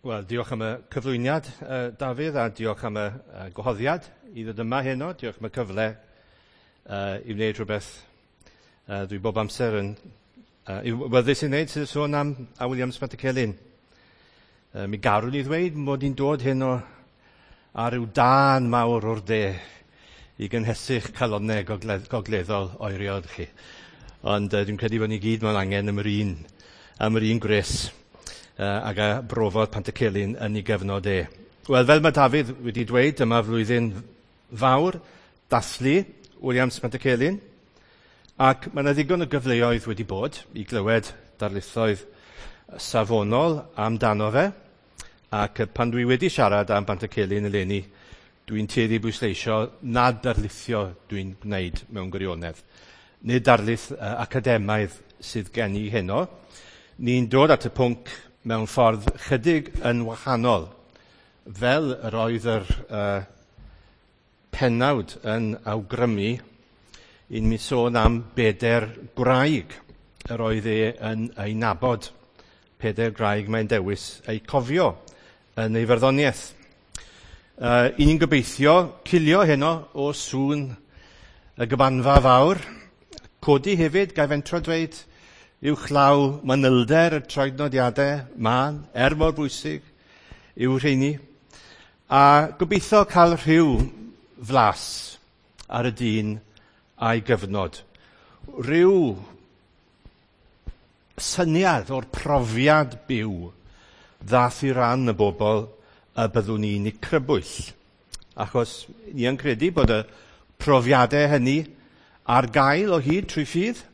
Wel, diolch am y cyflwyniad, Dafydd, a diolch am y gwahoddiad i ddod yma heno. Diolch am y cyfle i wneud rhywbeth dwi bob amser yn wybyddus i wneud, sydd sôn am a Williams Pantycelyn. Mi garwn i ddweud mod i'n dod heno ar ryw dân mawr o'r de i gynhesu'ch calonnau gogleddol oerion chi. Ond dwi'n credu bod ni gyd mewn angen am yr un gwres ag a brofodd Pantycelyn yn ei gyfnod e. Wel, fel mae Dafydd wedi dweud, dyma flwyddyn fawr, dathlu Williams Pantycelyn, ac mae yna ddigon o gyfleoedd wedi bod i glywed darlithoedd safonol amdano fe, ac pan dwi wedi siarad am Pantycelyn eleni, dwi'n tueddu bwysleisio nad darlithio dwi'n gwneud mewn gwirionedd. Nid darlith academaidd sydd gen i heno. Ni'n dod at y pwnc mewn ffordd chydig yn wahanol, fel yr oedd yr pennawd yn awgrymu, i mi sôn am bedair gwraig yr oedd e yn ei nabod. Pedair gwraig mae'n dewis eu cofio yn ei farddoniaeth. I ni'n gobeithio cilio heno o sŵn y gymanfa fawr. Codi hefyd, gai fentro dweud, uwchlaw manylder y troednodiadau mân, er mor bwysig yw rheini. A gobeithio cael rhyw flas ar y dyn a'i gyfnod. Rhyw syniad o'r profiad byw ddath i ran y bobl y byddwn ni'n eu crybwyll. Achos ni yn credu bod y profiadau hynny ar gael o hyd trwy ffydd,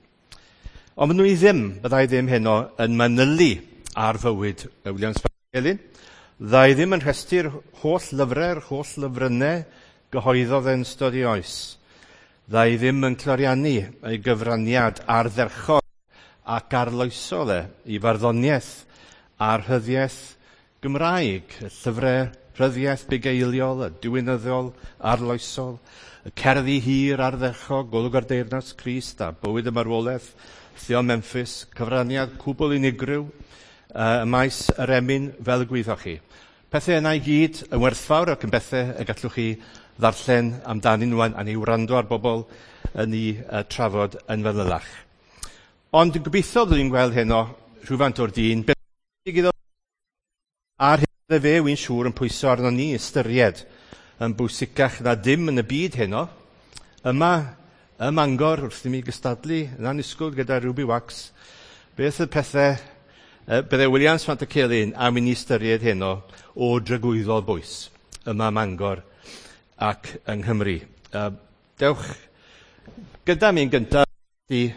ond maen nhw ddim, byddai ddim heno yn manylu ar fywyd Williams Pantycelyn. Byddai ddim yn rhestru'r holl lyfrau'r holl lyfrynnau gyhoeddodd yn ystod ei oes. Byddai ddim yn cloriannu ei gyfraniad ardderchog ac arloesol e i farddoniaeth a'r rhyddiaeth Gymraeg, y llyfrau rhyddiaeth bugeiliol, y diwinyddol, arloesol, y cerddi hir ardderchog, Golwg ar Deyrnas Crist a Bywyd y Marwolaeth, Theon Memphis, cyfraniad cwbl unigryw, y maes yr emyn fel y gwyddoch chi. Pethau yna i gyd yn werthfawr ac yn bethau y gallwch chi ddarllen amdanyn nhw a ni wrando ar bobl yn ei trafod yn fanylach. Ond dwi'n gobeithio byddwn ni'n gweld heno rhywfaint o'r dyn, a'r hyn fe wy'n siŵr yn pwyso arno ni ystyried yn bwysicach na dim yn y byd heno. Yma, ym Mangor, wrth i mi gystadlu yn annisgwyl gyda Ruby Wax, beth y pethau bydde Williams Pantycelyn am i ni ystyried heno o dragwyddol bwys yma ym Mangor ac yng Nghymru. Dewch gyda mi'n gyntaf i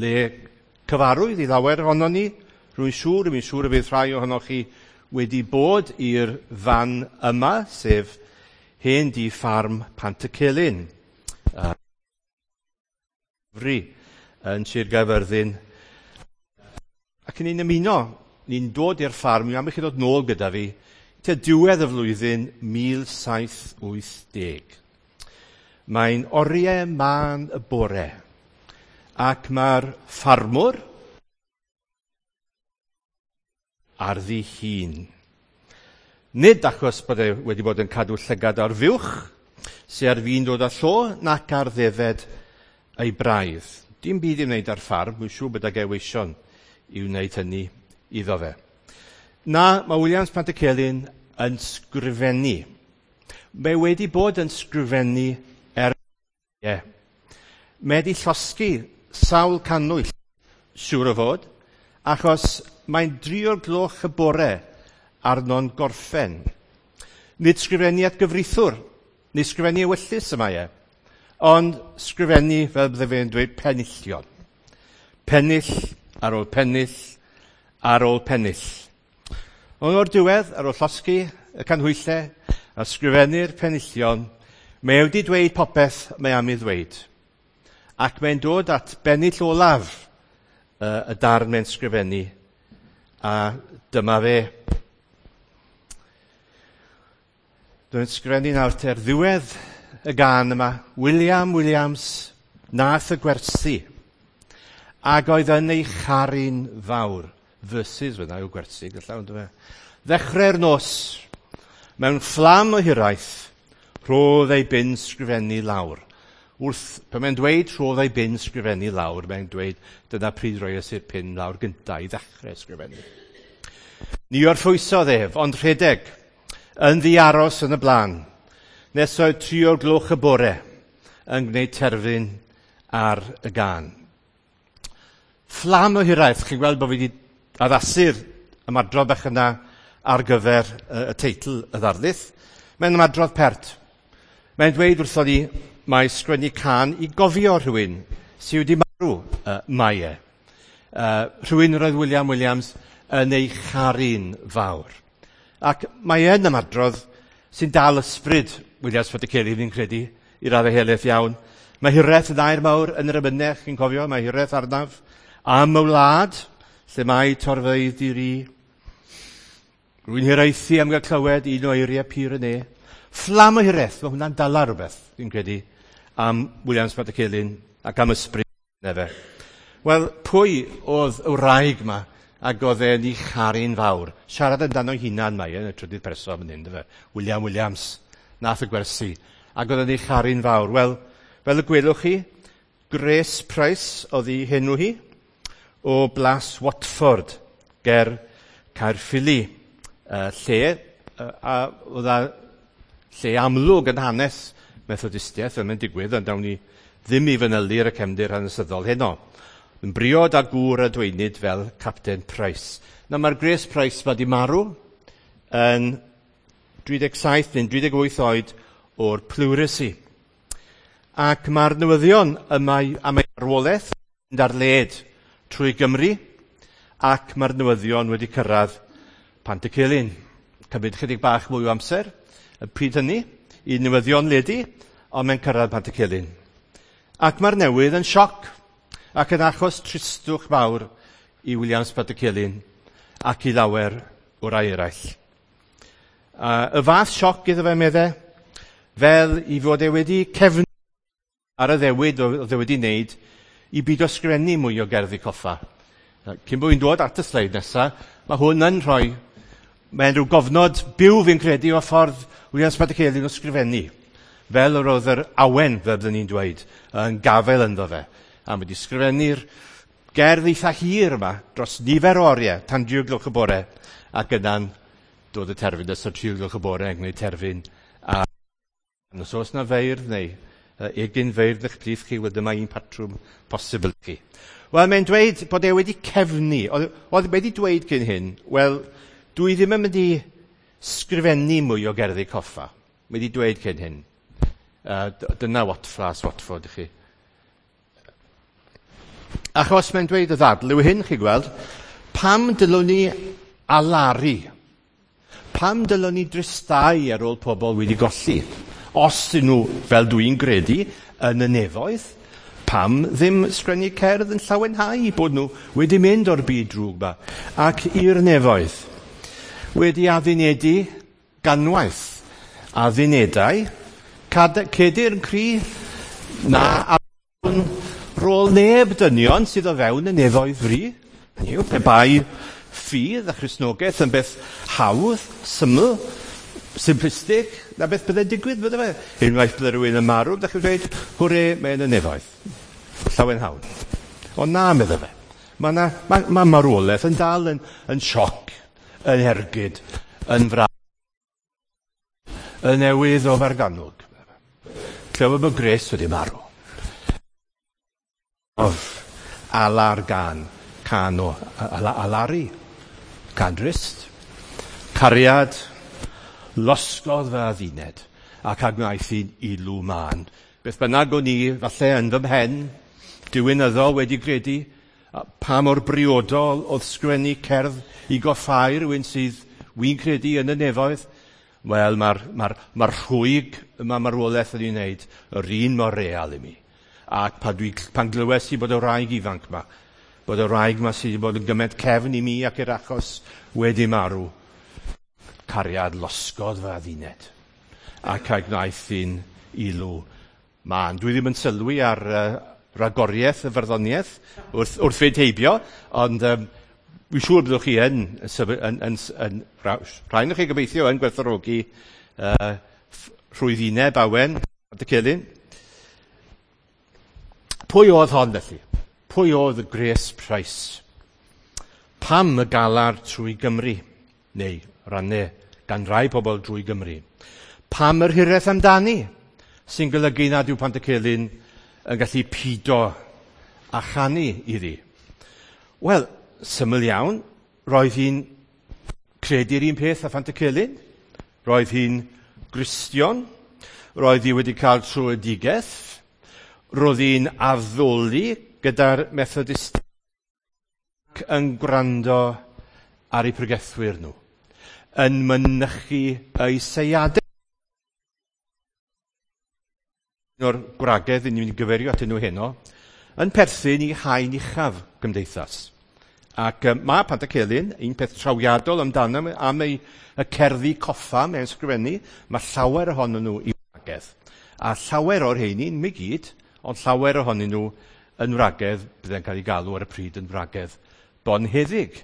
le cyfarwydd i lawer ohonon ni. Rwy'n siŵr, rwy'n siŵr y bydd rhai ohonoch chi wedi bod i'r fan yma, sef hen dŷ ffarm Pantycelyn. Fri yn Sir Gaerfyrddin. Ac ni'n ymuno, ni'n dod i'r ffarm, am i chi ddod nôl gyda fi, tua diwedd y flwyddyn 1780. Mae'n oriau mân y bore, ac mae'r ffarmwr ar ddihun. Nid achos bod e wedi bod yn cadw llygad ar fuwch, sy ar fin dod â llo, nac ar ddefed ei braidd. Dim byd i wneud ar ffarm, dwi'n siŵr bod ag eweision i wneud hynny iddo fe. Na, mae Williams Pantycelyn yn sgrifennu. Mae wedi bod yn sgrifennu Mae wedi llosgi sawl cannwyll, siŵr o fod, achos mae'n 3:00 y bore arno'n gorffen. Nid sgrifennu at gyfreithiwr, nid sgrifennu ewyllys y mae e, ond sgrifennu, fel bydde fe'n dweud, penillion. Pennill ar ôl pennill ar ôl pennill. Ond o'r diwedd, ar ôl llosgi y canhwyllau a sgrifennu'r penillion, mae wedi dweud popeth mae am ei ddweud. Ac mae'n dod at bennill olaf y darn mae'n sgrifennu, a dyma fe. Dwi'n sgrifennu nawr ter ddiwedd y gân yma, William Williams nath y gwersi, ac oedd yn ei charu'n fawr. Verses fyna yw gwersi, gallai, ond fe. Ddechrau'r nos, mewn fflam o hiraeth, rhodd ei bin sgrifennu lawr. Wrth, pan mae'n dweud rhodd ei bin sgrifennu lawr, mae'n dweud dyna pryd roes i'r pin lawr gyntaf i ddechrau sgrifennu. Ni orffwysodd ef, ond rhedeg, yn ddiaros yn y blaen, nes oedd 3 o'r gloch y bore yn gwneud terfyn ar y gân. Fflam o hiraeth, chi'n gweld bod fi wedi addasu'r ymadrodd bach yna ar gyfer y teitl y ddarlith. Mae'n ymadrodd pert. Mae'n dweud wrthon ni mae sgwennu cân i gofio rhywun sydd wedi marw mae e. Rhywun roedd William Williams yn ei charu'n fawr. Ac mae e'n ymadrodd sy'n dal ysbryd Williams Pantycelyn, fi'n credu, i raddau helaeth iawn. Mae hiraeth yn air mawr yn yr emynau, chi'n cofio, mae hiraeth arnaf am y wlad, lle mae torfeydd di-ri. Rwy'n hiraethu am gael clywed un o eiriau pur y ne. Fflam o hiraeth, mae hwnna'n dala rhywbeth, fi'n credu, am Williams Pantycelyn ac am ysbryd efe. Wel, pwy oedd y wraig yma ac oedd e'n ei charu'n fawr? Siarad amdano hunan mae yn y trydydd person fan hyn, dyfe? William Williams, nath y gwersi, ac oedd e'n ei charu'n fawr. Wel, fel y gwelwch chi, Grace Price oedd ei henw hi, o Blas Watford, ger Caerffili, lle, a oedd a lle amlwg yn hanes Methodistiaeth, fel mae'n digwydd, ond dawn ni ddim i fanylu ar y cefndir hanesyddol heno. Yn briod a gŵr a dweinid fel Captain Price. Na, mae'r Grace Price ma di marw yn 37 neu 38 oed o'r pleurisy. Ac mae'r newyddion yma am ei marwolaeth yn ar led trwy Gymru, ac mae'r newyddion wedi cyrraedd Pantycelyn. Cymryd chydig bach mwy o amser y pryd hynny i newyddion ledu, ond mae'n cyrraedd Pantycelyn. Ac mae'r newydd yn sioc, ac yn achos tristwch mawr i Williams Pantycelyn ac i lawer o rai eraill. Y fath sioc iddo fe, meddai, fel i fod e wedi cefnu ar y ddewid oedd e wedi wneud i byd o sgrifennu mwy o gerddi coffa. Cyn bod fi'n dod at y sleid nesaf, mae hwn yn rhoi, mae'n rhyw gofnod byw fi'n credu o ffordd Williams Pantycelyn o sgrifennu, fel yr oedd yr awen, fel byddwn ni'n dweud, yn gafael ynddo fe. A mae wedi sgrifennu'r gerdd eitha hir yma dros nifer o oriau, tan 3 gloch y bore, ac yna'n dod y terfyn ystod 3 gloch y bore yn gwneud terfyn. A os oes na feirdd neu egin feirdd eich plith chi, wel dyma un patrwm posibl chi. Wel, mae'n dweud bod e wedi cefnu. Oedd wedi dweud cyn hyn, wel, dwi ddim yn mynd i sgrifennu mwy o gerddi coffa. Mae wedi dweud cyn hyn. Dyna Watflas, Watford i chi. Achos mae'n dweud y ddadl yw hyn, chi gweld, pam dylwn ni alaru? Pam dylwn ni dristau ar ôl pobl wedi golli? Os ydyn nhw, fel dwi'n gredu, yn y nefoedd, pam ddim sgrennu cerdd yn llawenhau bod nhw wedi mynd o'r byd drwg yma ac i'r nefoedd? Wedi addunedu ganwaith, addunedau, cedir yn cri, na addun rôl neb dynion sydd o fewn y nefoedd fri. Hynny yw, pe bai ffydd a Christnogaeth yn beth hawdd, syml, simplistic, na beth byddai'n digwydd, bydde fe? Unwaith bydde rhywun yn marw, ydych chi'n dweud, hwre, mae yn y nefoedd. Llawen hawn. Ond na, medde fe. Mae ma marwolaeth yn dal yn sioc, yn ergyd, yn fraf, yn newydd o Fargannwg. Clywed bod Grace wedi marw. Of alar gan, can o alari, can drist, cariad, losgodd fy adduned, ac a gwnaeth hi'n ilw mân. Beth bynnag o'n i, falle yn fy mhen, diwinyddol wedi gredu, pa mor briodol oedd sgwennu cerdd i goffau rhywun sydd wy'n credu yn y nefoedd. Wel, mae'r rhwyg yma marwolaeth yn ei wneud yr un mor real i mi. Ac pan glywes i bod y wraig ifanc yma, bod y wraig yma sydd wedi bod yn gymaint cefn i mi ac i'r achos wedi marw, cariad losgodd fy adduned, ac a gwnaeth hi'n ilw mân. Dwi ddim yn sylwi ar ragoriaeth y farddoniaeth wrth fynd heibio, ond Wi'n siŵr byddwch chi yn, yn, yn, yn, rhain o'ch chi gobeithio yn gwerthfawrogi rhwyddineb Awen Pantycelyn. Pwy oedd hon felly? Pwy oedd Grace Price? Pam y galar trwy Gymru? Neu rannau gan rai pobl drwy Gymru. Pam yr hiraeth amdani? Sy'n golygu nad yw Pantycelyn yn gallu pido a chanu iddi? Wel, syml iawn, roedd hi'n credu'r un peth â Phantycelyn. Roedd hi'n Gristion. Roedd hi wedi cael tröedigaeth. Roedd hi'n addoli gyda'r Methodist ac yn gwrando ar eu pregethwyr nhw, yn mynychu eu seiadau. Un o'r gwragedd ni'n mynd i gyfeirio atyn nhw heno, yn perthyn i haen uchaf gymdeithas. Ac mae Pantycelyn, un peth trawiadol amdano am ei y cerddi coffa mewn sgrifennu, mae llawer ohonyn nhw i wragedd. A llawer o'r rheini, ddim i gyd, ond llawer ohonyn nhw yn wragedd, byddai'n cael ei galw ar y pryd yn wragedd bonheddig.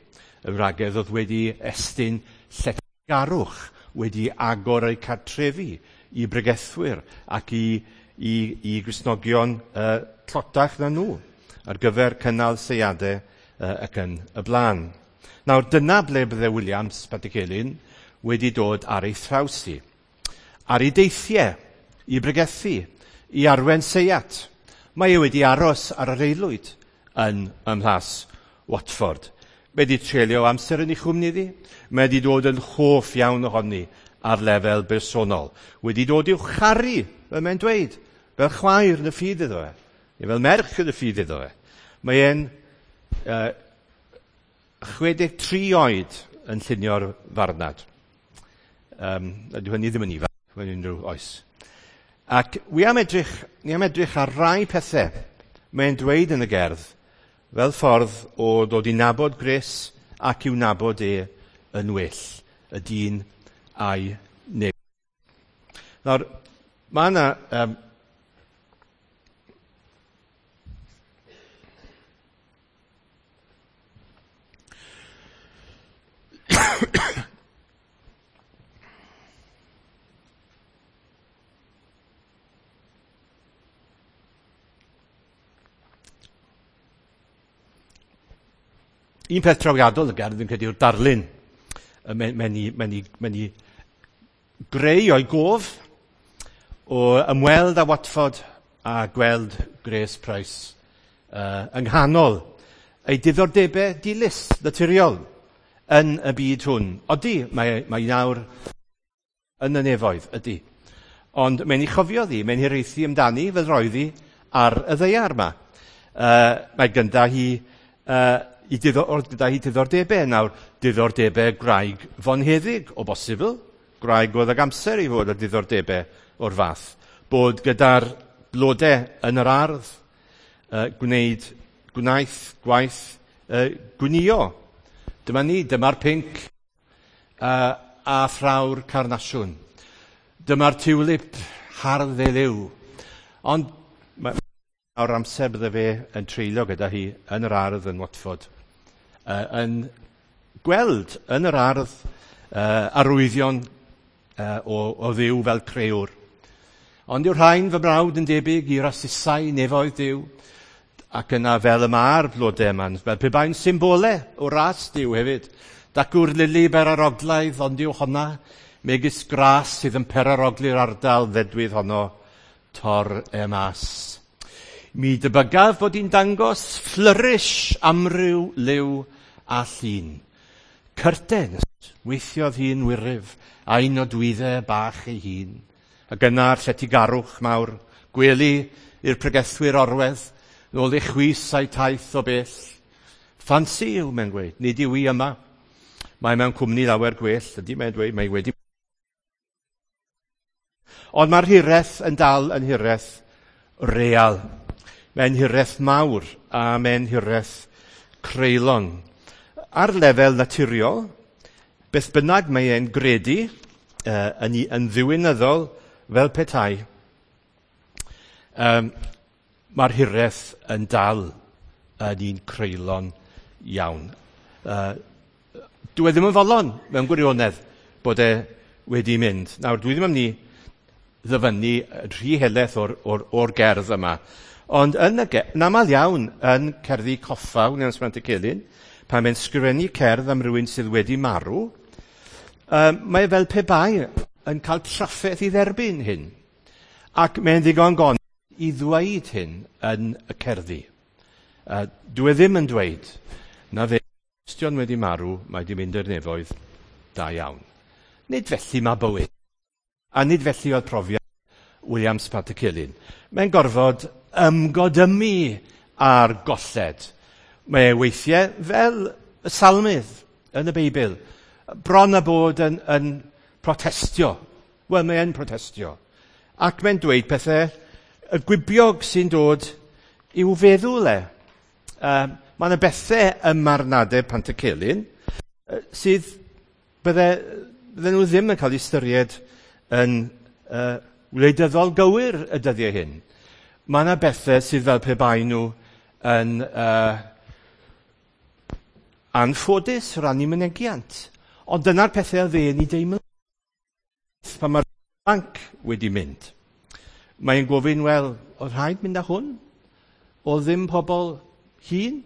Y wragedd oedd wedi estyn lletygarwch, wedi agor eu cartrefi i bregethwyr ac i Gristnogion tlotach na nhw ar gyfer cynnal seiadau ac yn y blaen. Nawr, dyna ble bydde Williams Pantycelyn wedi dod ar ei thraws hi. Ar ei deithiau, i bregethu, i arwen seiat. Mae e wedi aros ar yr aelwyd yn ym Mhlas Watford. Mae wedi treulio amser yn ei chwmni iddi. Mae wedi dod yn hoff iawn ohoni ar lefel bersonol. Wedi dod i'w charu, fel mae'n dweud, fel chwaer yn y ffydd iddo fe, neu fel merch yn y ffydd iddo fe. Mae e'n 63 oed yn llunio'r farnad. Ydy hynny ddim yn ifanc, mewn unrhyw oes. Ac wi am edrych, ni am edrych ar rai pethau mae'n dweud yn y gerdd fel ffordd o ddod i nabod Grace ac i'w nabod e yn well, y dyn a'i neb. Nawr, mae yna un peth trawiadol y gerdd fi'n credu yw'r darlun. Mae'n i greu o'i gof o ymweld â Watford a gweld Grace Price yng nghanol ei diddordebau dilys naturiol yn y byd hwn. Odi, mae nawr yn y nefoedd, ydy. Ond mae'n ei chofio ddi, mae'n hiraethu amdani fel roedd hi ar y ddaear yma. Mae gyda hi gyda hi diddordebau nawr, diddordebau gwraig fonheddig o bosibl, gwraig oedd ag amser i fod â diddordebau o'r fath. Bod gyda'r blodau yn yr ardd, gwneud gwnaeth gwaith gwnïo. Dyma ni, dyma'r pinc a thraw'r carnasiwn. Dyma'r tiwlip hardd ei liw. Ond o'r amser bydde fe yn treulio gyda hi yn yr ardd yn Watford, yn gweld yn yr ardd arwyddion o Dduw fel crëwr. Ond yw'r rhain fy mrawd yn debyg i rasusau nefoedd Duw, ac yna fel y mae'r blodau yma, fel pe bai'n symbole o ras Duw hefyd. Dacw'r lili beraroglaidd, ond yw honna, megis gras sydd yn perarogli'r ardal ddedwydd honno, tor e mas. Mi debygaf bod hi'n dangos flourish amryw liw a llun. Curtains, weithiodd hi'n wyryf, a'i nodwyddau bach ei hun. Ac yna'r lletygarwch mawr, gwely i'r pregethwyr orwedd, nôl ei chwys a'i taith o bell. Ffansi yw, mae'n gweud, nid yw hi yma. Mae mewn cwmni lawer gwell, ydy mae'n dweud, mae wedi. Ond mae'r hiraeth yn dal yn hiraeth real. Mae'n hiraeth mawr a mae'n hiraeth creulon. Ar lefel naturiol, beth bynnag mae e'n gredu yn ddiwinyddol fel petai, mae'r hiraeth yn dal yn un creulon iawn. Dwi e ddim yn fodlon mewn gwirionedd bod e wedi mynd. Nawr, dwi ddim am ni ddyfynnu rhy helaeth o'r gerdd yma. Ond yn aml iawn yn cerddi coffa Williams Pantycelyn, pan mae'n sgrifennu cerdd am rywun sydd wedi marw, mae fel pe bai yn cael trafferth i dderbyn hyn. Ac mae'n ddigon gon i ddweud hyn yn y cerddi. Dwi ddim yn dweud na fe Cristion wedi marw, mae wedi mynd i'r nefoedd, da iawn. Nid felly mae bywyd. A nid felly oedd profiad Williams Pantycelyn. Mae'n gorfod ymgodymu ar golled. Mae e weithiau fel y salmydd yn y Beibl, bron a bod yn protestio. Wel, mae e'n protestio. Ac mae'n dweud pethau y gwibiog sy'n dod i'w feddwl e. Mae yna bethau ym marnadau Pantycelyn sydd bydde nhw ddim yn cael eu ystyried yn wleidyddol gywir y dyddiau hyn. Mae yna bethau sydd fel pe bai nhw yn anffodus ran eu mynegiant. Ond dyna'r pethau oedd e'n ei deimlo pan mae'r banc wedi mynd. Mae'n gofyn, wel, oedd rhaid mynd â hwn? Oedd ddim pobl hŷn?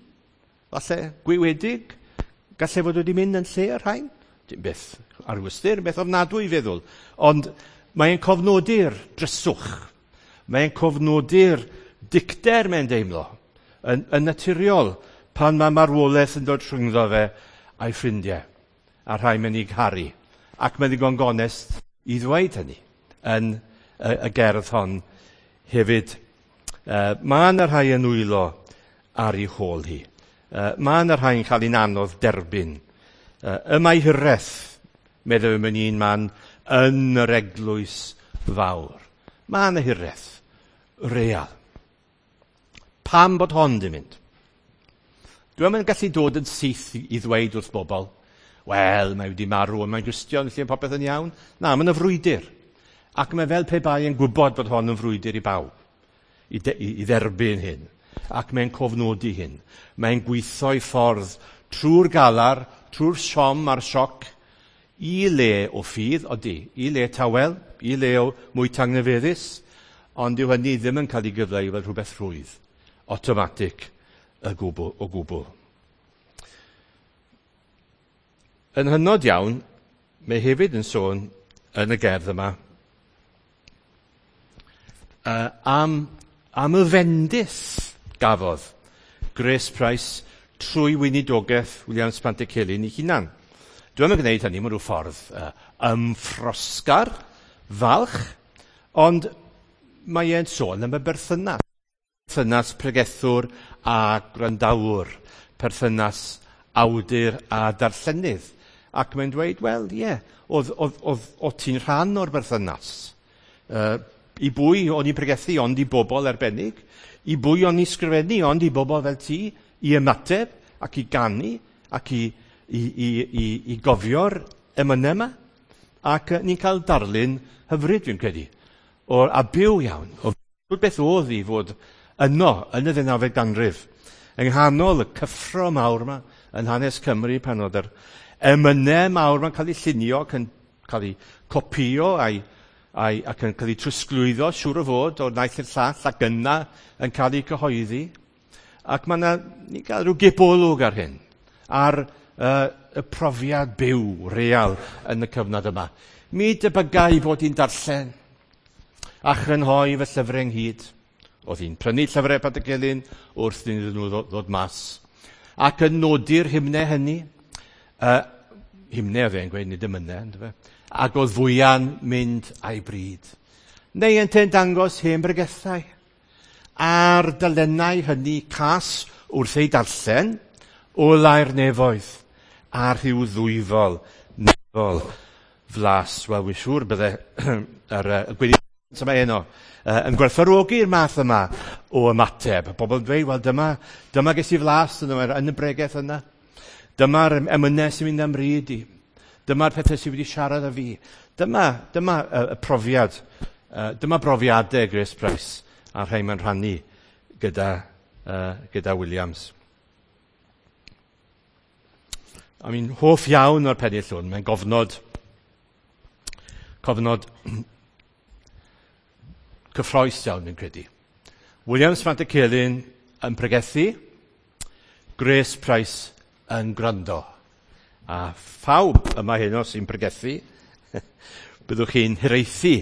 Falle gwywedig? Gallai fod wedi mynd yn lle y rhain? Dim beth arwystyr, beth ofnadwy i feddwl. Ond mae'n cofnodi'r dryswch. Mae'n cofnodi'r dicter mae'n deimlo yn naturiol pan mae marwolaeth yn dod rhyngddo fe a'i ffrindiau a rhai mae'n ei garu. Ac mae'n ddigon gonest i ddweud hynny yn y gerdd hon hefyd. Mae yna rhai yn wylo ar ei hôl hi. Mae yna rhai yn cael ein anodd derbyn. Y mae hiraeth, meddwl mewn un man, yn yr eglwys fawr. Mae yna hiraeth real. Pam bod hon di mynd? Dwi'm yn gallu dod yn syth i ddweud wrth bobl, wel, mae wedi marw, ond mae'n Gristion, felly popeth yn iawn. Na, mae'n y frwydr. Ac mae fel pe bai yn gwybod bod hon yn frwydr i bawb, i dderbyn hyn. Ac mae'n cofnodi hyn. Mae'n gweithio i ffordd trwy'r galar, trwy'r siom a'r sioc, i le o ffydd, odi, i le tawel, i le o mwy tangnefeddus, ond yw hynny ddim yn cael ei gyfleu fel rhywbeth rhwydd, automatic o gwbl. Yn hynod iawn, mae hefyd yn sôn yn y gerdd yma am y fendith gafodd Grace Price trwy weinidogaeth Williams Pantycelyn ei hunan. Dwi'm yn gwneud hynny mewn rhyw ffordd ymffrosgar, falch, ond mae e'n sôn am y berthynas. Perthynas pregethwr a gwrandawr, perthynas awdur a darllenydd. Ac mae'n dweud, wel, ie, oedd ti'n rhan o'r berthynas. I bwy o'n i'n pregethu ond i bobl arbennig, i bwy o'n i'n sgrifennu ond i bobl fel ti, i ymateb ac i ganu ac i gofio'r emynau yma. Ac ni'n cael darlun hyfryd, fi'n credu, a byw iawn, o beth oedd i fod yno yn y 19fed ganrif, yng nghanol y cyffro mawr yma yn hanes Cymru pan oedd yr emynau mawr yma'n cael eu llunio ac yn cael eu copïo ac yn cael eu trosglwyddo, siŵr o fod, o'r naill i'r llall ac yna yn cael eu cyhoeddi. Ac mae yna, ni'n cael rhyw gipolwg ar hyn, ar y profiad byw real yn y cyfnod yma. Mi debygai fod hi'n darllen a chrynhoi fy llyfrau ynghyd. Oedd hi'n prynu llyfrau Pantycelyn wrth iddyn nhw ddod mas. Ac yn nodi'r hymnau hynny, hymnau oedd e'n gweud, nid emynau, yndyfe? Ac oedd fwya'n mynd a'i bryd. Neu ynte'n dangos hen bregethau. A'r dalennau hynny cas wrth ei darllen, olau'r nefoedd, a rhyw ddwyfol, nefol flas. Wel, wy'n siŵr bydde yr gweinidog yma heno yn gwerthfawrogi'r math yma o ymateb. Pobl yn dweud, wel, dyma ges i flas yn y bregeth yna. Dyma'r emynau sy'n mynd am bryd i. Dyma'r pethau sydd wedi siarad â fi. Dyma y profiad, dyma brofiadau Grace Price a rhai mae'n rhannu gyda Williams. A mi'n hoff iawn o'r pennill hwn, mae'n gofnod, cofnod cyffroes iawn fi'n credu. Williams Pantycelyn yn pregethu, Grace Price yn gwrando. A phawb yma heno sy'n pregethu, byddwch chi'n hiraethu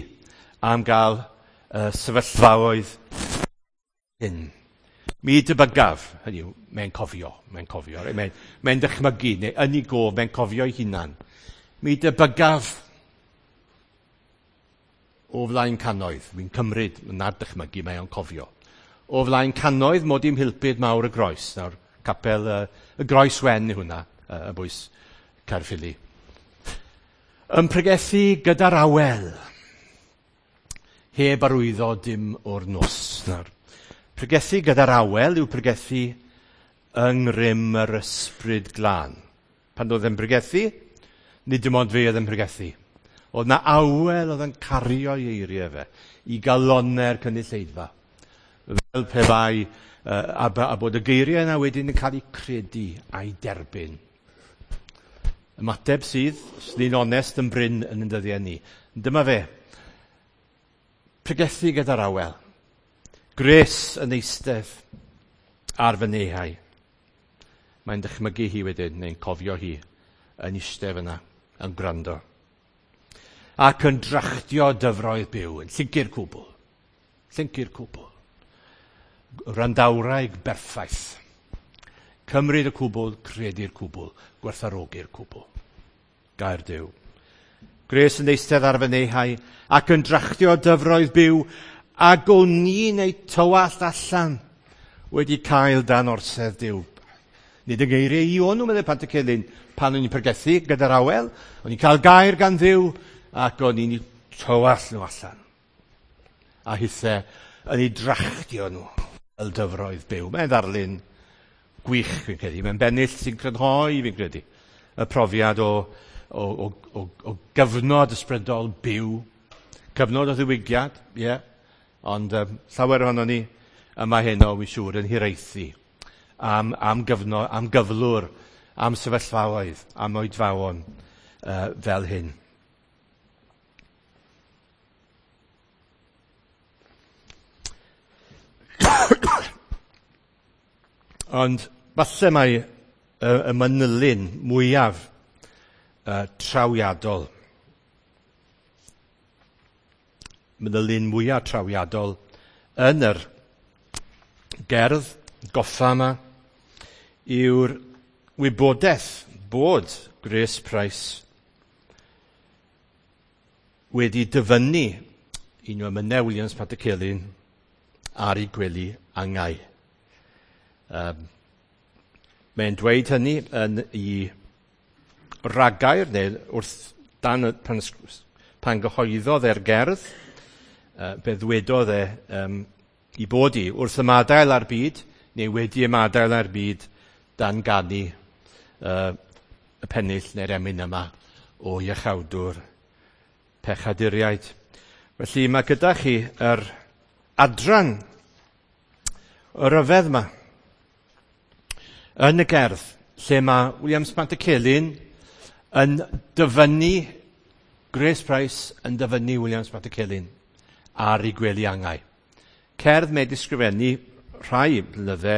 am gael sefyllfaoedd hyn. Mi debygaf, hynny yw, mae'n cofio, mae'n cofio, mae'n mae dychmygu, neu yn ei gof, mae'n cofio ei hunan. Mi debygaf o flaen cannoedd, mi'n cymryd, nad dychmygu, mae o'n cofio. O flaen cannoedd mod i'n mhulpud mawr y groes, nawr capel y Groes Wen yw hwnna, y bwys Caerffili. Yn pregethu gyda'r awel, heb arwyddo dim o'r nos. Nawr, pregethu gyda'r awel yw pregethu yng ngrym yr ysbryd glân. Pan oedd e'n pregethu, nid dim ond fe oedd yn pregethu. Oedd na awel oedd yn cario ei eiriau fe i galonau'r cynulleidfa. Fel pe bai a bod y geiriau yna wedyn yn cael eu credu a'i derbyn. Ymateb sydd, os ni'n onest, yn brin yn ein dyddiau ni. Dyma fe. Pregethu gyda'r awel. Grace yn eistedd ar fy nehau. Mae'n dychmygu hi wedyn, neu'n cofio hi, yn eistedd fyna, yn gwrando. Ac yn drachtio dyfroedd byw, yn llyncu'r cwbl. Llyncu'r cwbl. Randawraig berffaith. Cymryd y cwbl, credu'r cwbl, gwerthfawrogi'r cwbl. Gair Duw. Grace yn eistedd ar fy nehau ac yn drachtio dyfroedd byw, ac o'n i'n ei tywallt allan wedi cael dan orsedd Duw. Nid y geiriau i o'n nhw, meddai Pantycelyn, pan o'n i'n pregethu gyda'r awel, o'n i'n cael gair gan Dduw, ac o'n i'n tywallt nhw allan. A hithe yn ei drachtio nhw fel dyfroedd byw. Mae'n ddarlun gwych, fi'n credu. Mae'n bennill sy'n crynhoi, fi'n credu, y profiad o gyfnod ysbrydol byw, cyfnod o ddiwygiad, ie, yeah. Ond llawer ohonon ni yma heno, wi'n siŵr, yn hiraethu am gyfnod, am gyflwr, am sefyllfaoedd, am oedfaon fel hyn. Ond falle mai y manylyn mwyaf trawiadol, manylyn mwyaf trawiadol yn yr gerdd goffa yma yw'r wybodaeth bod Grace Price wedi dyfynnu un o emynau Williams Pantycelyn ar ei gwely angau. Mae'n dweud hynny yn ei ragair, neu wrth dan, pan gyhoeddodd e'r gerdd, be ddwedodd e i bod i wrth ymadael â'r byd, neu wedi ymadael â'r byd, dan ganu y pennill neu'r emyn yma o iachawdwr pechaduriaid. Felly mae gyda chi yr adran y ryfedd yma yn y gerdd, lle mae Williams Pantycelyn yn dyfynnu Grace Price yn dyfynnu Williams Pantycelyn ar ei gwely angau. Cerdd mae disgrifennu rhai blynydde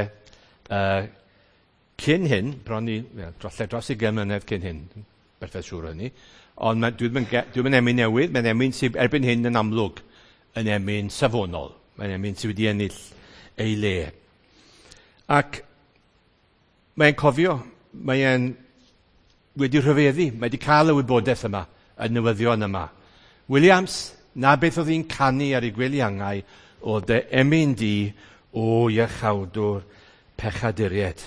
cyn hyn, bron i, dros 20 mlynedd cyn hyn, berffaith siŵr o hynny, ond dwi'n mynd emyn newydd, mae'n emyn sydd erbyn hyn yn amlwg yn emyn safonol, mae'n emyn sydd wedi ennill ei le. Ac mae'n cofio, mae'n wedi rhyfeddu, mae wedi cael y wybodaeth yma, y newyddion yma. Williams, na beth oedd hi'n canu ar ei gwely angau, oedd dy emyn di o iachawdwr pechaduriaid.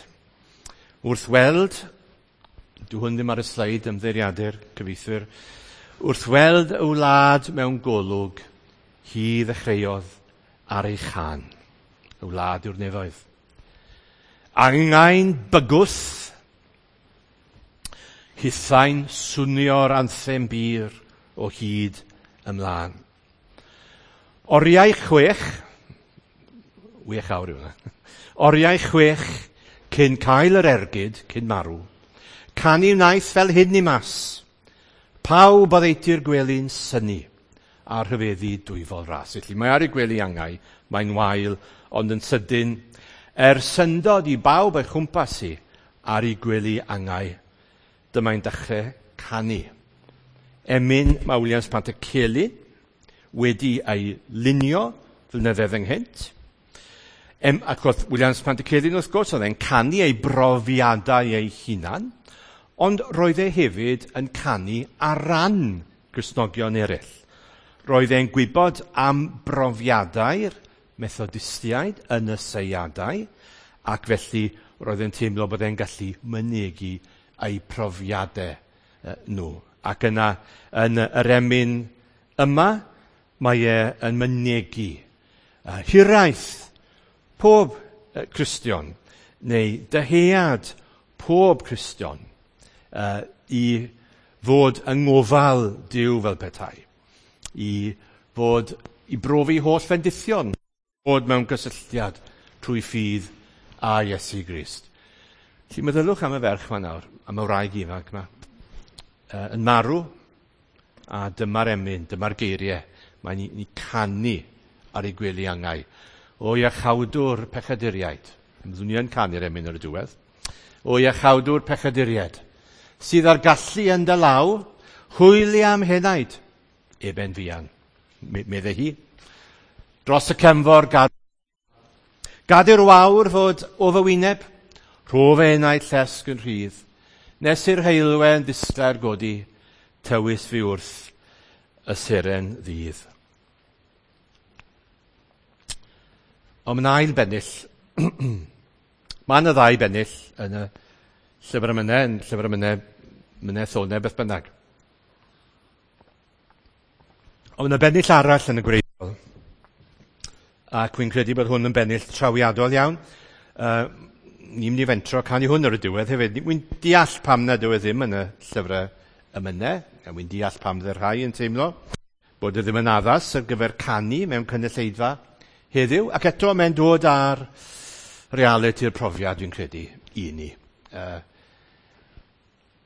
Wrth weld, dwi hwn ddim ar y sleid ymddeiriadur cyfieithwyr, wrth weld y wlad mewn golwg, hi ddechreuodd ar ei chan. Y wlad yw'r nefoedd. Angau'n bygwth, hithau'n swnio'r anthem bur o hyd ymlaen. Oriau 6, 6 awr yw hwnna, oriau 6 cyn cael yr ergyd, cyn marw, Canu wnaeth fel hyn i mas. Pawb oddeutu'r gwely'n synnu a rhyfeddu dwyfol ras. Felly mae ar ei gwely angau, mae'n wael, ond yn sydyn, er syndod i bawb o'i chwmpas hi ar ei gwely angau, dyma'n dechrau canu. Emyn mae Williams Pantycelyn wedi ei lunio flynyddoedd ynghynt. Ac oedd Williams Pantycelyn wrth gwrs, oedd e'n canu ei brofiadau ei hunan, ond roedd e hefyd yn canu ar ran Gristnogion eraill. Roedd e'n gwybod am brofiadau'r Methodistiaid yn y seiadau, ac felly roedd e'n teimlo bod e'n gallu mynegi eu profiadau nhw. Ac yna, yn yr emyn yma, mae e yn mynegi hiraeth pob Cristion, neu dyhead pob Cristion, i fod yng ngofal Duw fel petai, i fod i brofi holl fendithion, fod mewn gysylltiad trwy ffydd a Iesu Grist. Felly meddylwch am y ferch yma nawr, am y wraig ifanc yma, yn marw, a dyma'r emyn, dyma'r geiriau, mae'n ni canu ar ei gwely angau. O iachawdwr pechaduriaid, byddwn ni yn canu'r emyn ar y diwedd. O iachawdwr pechaduriaid, sydd ar gallu yn dy law, hwyli am henaid, eben fuan, medde hi. Dros y cefnfor gad i'r wawr fod o fy wyneb, rho fy enaid llesg yn rhydd, nes i'r heulwen ddisglair godi, tywys fi wrth y seren ddydd. Ond mae'n ail bennill. Mae yna ddau bennill yn y llyfr emynau, yn llyfr emynau, mynau thonau, beth bynnag. Ond yna bennill arall yn y gwreiddiol. Ac wy'n credu bod hwn yn bennill trawiadol iawn. Ni'n mynd i fentro canu hwn ar y diwedd hefyd. Wy'n deall pam nad yw e ddim yn y llyfrau emynau. A wy'n deall pam fydde rhai yn teimlo bod e ddim yn addas ar gyfer canu mewn cynulleidfa heddiw. Ac eto mae'n dod ar realiti'r profiad, dwi'n credu, i ni.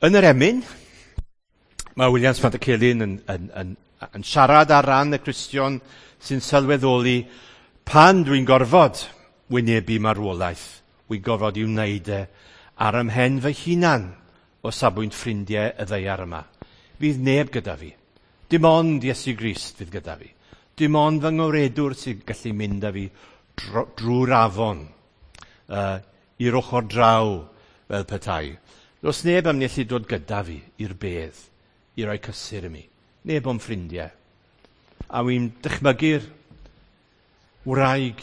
Yn yr emyn, mae Williams Pantycelyn yn siarad ar ran y Cristion sy'n sylweddoli pan dwi'n gorfod wynebu marwolaeth, wy'n gorfod i'w wneud e ar ymhen fy hunan o safbwynt ffrindiau y ddaear yma. Fydd neb gyda fi. Dim ond Iesu Grist fydd gyda fi. Dim ond fy ngoredwr sy'n gallu mynd â fi drwy'r afon i'r ochr draw fel petai. Does neb am allu dod gyda fi i'r bedd i roi cysur i mi. Neb o'n ffrindiau. A wy'n dychmygu'r wraig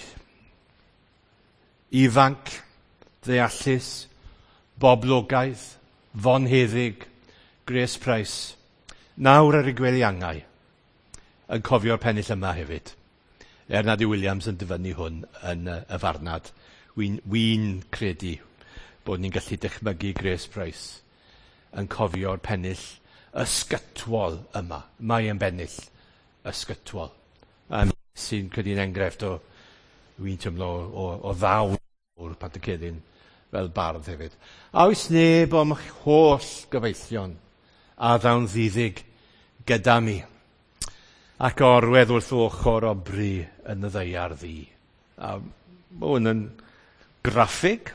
ifanc, ddeallus, boblogaidd, fonheddig, Grace Price, nawr ar ei gwely angau, yn cofio'r pennill yma hefyd. Er nad yw Williams yn dyfynnu hwn yn y farnad, wy'n credu bod ni'n gallu dychmygu Grace Price yn cofio'r pennill ysgytwol yma. Mae e'n bennill ysgytwol. Sy'n credu'n enghraifft o, wy'n teimlo, o ddawn o'r Pantycelyn fel bardd hefyd. A oes neb o'm holl gyfeillion a ddawn ddiddig gyda mi, ac orwedd wrth ochr o bri yn y ddaear ddu. A mae hwn yn graffig,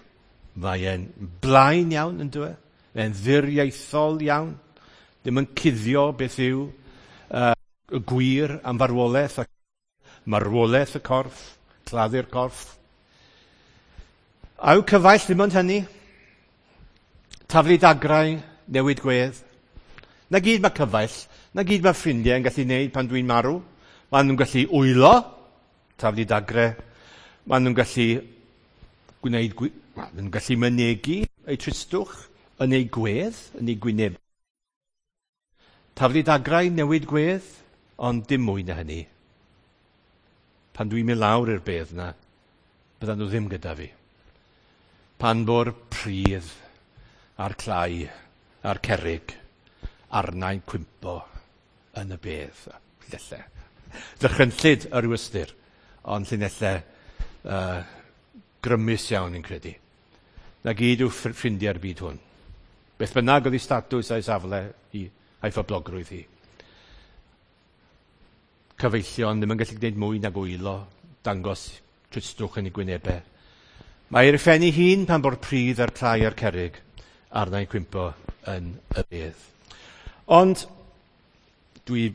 mae e'n blaen iawn yn dweud, mae'n ddiriaethol iawn, ddim yn cuddio beth yw y gwir am farwolaeth ac marwolaeth y corff, claddu'r corff. A yw cyfaill ddim ond hynny? Taflu dagrau, newid gwedd. Na gyd mae cyfaill, na gyd mae ffrindiau yn gallu gwneud pan dwi'n marw. Maen nhw'n gallu wylo, taflu dagrau. Maen nhw'n gallu gwneud, maen nhw'n gallu mynegi eu tristwch yn eu gwedd, yn eu gwyneb. Taflu dagrau, newid gwedd, ond dim mwy na hynny. Pan dwi'n mynd lawr i'r bedd na, byddan nhw ddim gyda fi. Pan bo'r pridd a'r clai a'r cerrig arnau'n cwympo yn y bedd. Llinellau. Ddychrynllyd yr yw ystyr, ond llinellau grymus iawn i'n credu. Na gyd yw ffrindiau'r byd hwn. Beth bynnag oedd ei statws a'i safle i a'i phoblogrwydd hi. Cyfeillion ddim yn gallu gwneud mwy nag wylo, dangos tristwch yn ei gwynebau. Mae ei ryffennu hun pan bo'r pridd a'r clai a'r cerrig arna'n cwympo yn y bedd. Ond dwi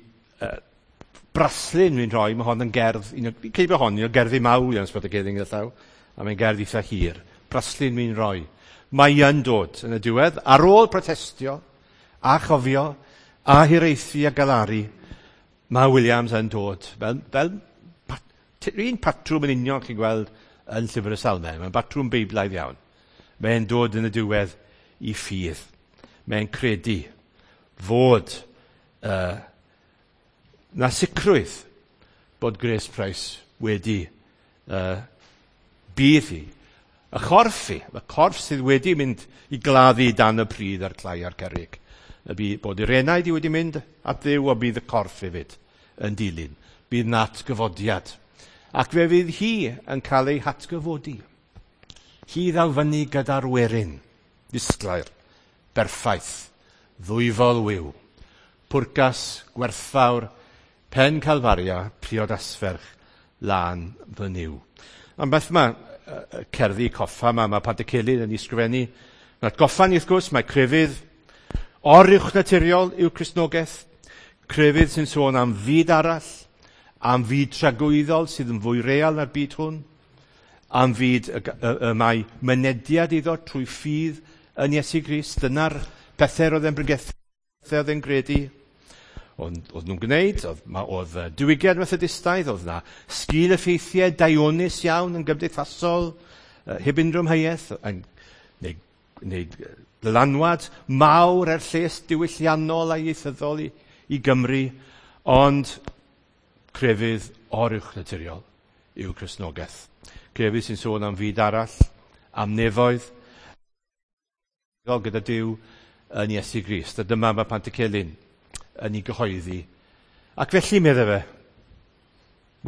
braslun fi'n rhoi, mae hon yn gerdd, fi'n credu bod hon un o gerddi mawr iawn Sbot y Gelyn gyda llaw, a mae'n gerdd eitha hir. Braslun fi'n rhoi. Mae yn dod yn y diwedd, ar ôl protestio, a chofio, a hiraethu a galaru, mae Williams yn dod. Fel, fel pat, un patrwm yn union chi'n gweld yn Llyfr y Salmau. Mae'n batrwm beiblaidd iawn. Mae'n dod yn y diwedd i ffydd. Mae'n credu fod na sicrwydd bod Grace Price wedi bydd hi. Y chorff hi, y corff sydd wedi mynd i gladdu dan y pridd a'r clai a'r cerrig. Y bu, bod yr enaid i wedi mynd at Dduw, a bydd y corff hefyd yn dilyn. Bydd na atgyfodiad. Ac fe fydd hi yn cael ei hatgyfodi. Hi ddaw fyny gyda'r werin, disglair, berffaith, ddwyfol wiw, pwrcas, gwerthfawr, pen Calfaria, priodasferch, lân fy Nuw. Ond beth mae cerddi coffa yma, mae Pantycelyn yn ei sgrifennu. Mae'n atgoffa ni wrth gwrs, mae crefydd oruwchnaturiol yw Cristnogaeth, crefydd sy'n sôn am fyd arall, am fyd tragwyddol sydd yn fwy real na'r byd hwn, am fyd y, y, y mae mynediad iddo trwy ffydd yn Iesu Grist. Dyna'r pethau roedd e'n bregethu, oedd e'n gredu. Ond oedd nhw'n gwneud, oedd, ma, oedd diwygiad Methodistaidd, oedd na sgil effeithiau daionus iawn yn gymdeithasol, heb unrhyw amheuaeth, yn neu, neu dylanwad mawr er lles diwylliannol a ieithyddol i, i Gymru, ond crefydd oruwchnaturiol yw Cristnogaeth. Crefydd sy'n sôn am fyd arall, am nefoedd, gyda Duw yn Iesu Grist. A dyma mae Pantycelyn yn ei gyhoeddi. Ac felly, medde fe,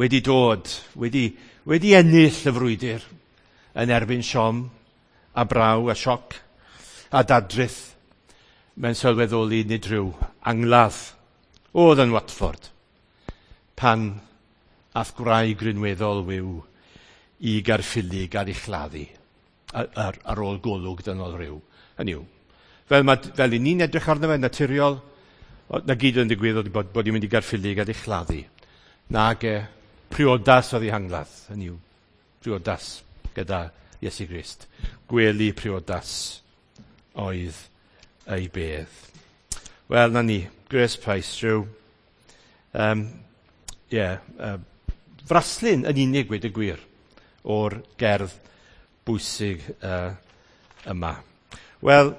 wedi dod, wedi, wedi ennill y frwydr yn erbyn siom a braw a sioc a dadrith, mae'n sylweddoli nid rhyw angladd oedd yn Watford pan ath gwraig rinweddol wiw i Gaerffili gael ei chladdu ar, ar ôl golwg dynol rhyw. Hynny yw, fel, ma, fel i ni'n edrych arno fe naturiol, na gyd yn digwydd oedd bod, bod i'n mynd i Gaerffili gael ei chladdu. Nag e, priodas oedd ei hangladd, hynny yw, priodas gyda Iesu Grist. Gwely priodas oedd ei bedd. Wel, na ni, Grace Price, rhyw, um, yeah, fraslun yn unig wedi gwir o'r gerdd bwysig yma. Wel,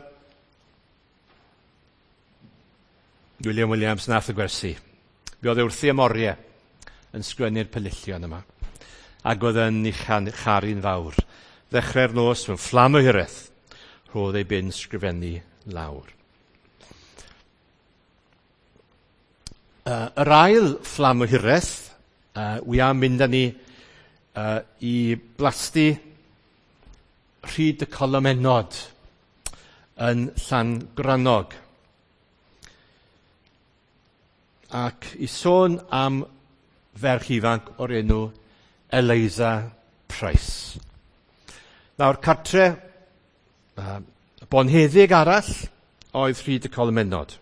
William Williams nath y gwersi. Fe oedd e wrthi am oriau yn sgwennu'r pelillion yma. Ac oedd yn ei charu'n fawr. Ddechrau'r nos mewn fflam o hiraeth, rhodd ei bin sgrifennu lawr. Yr ail fflam o hiraeth, wi am mynd â ni i blasty Rhyd y Colomennod yn Llangrannog. Ac i sôn am ferch ifanc o'r enw Eliza Price. Nawr, cartre bonheddig arall oedd Rhyd y Colomennod.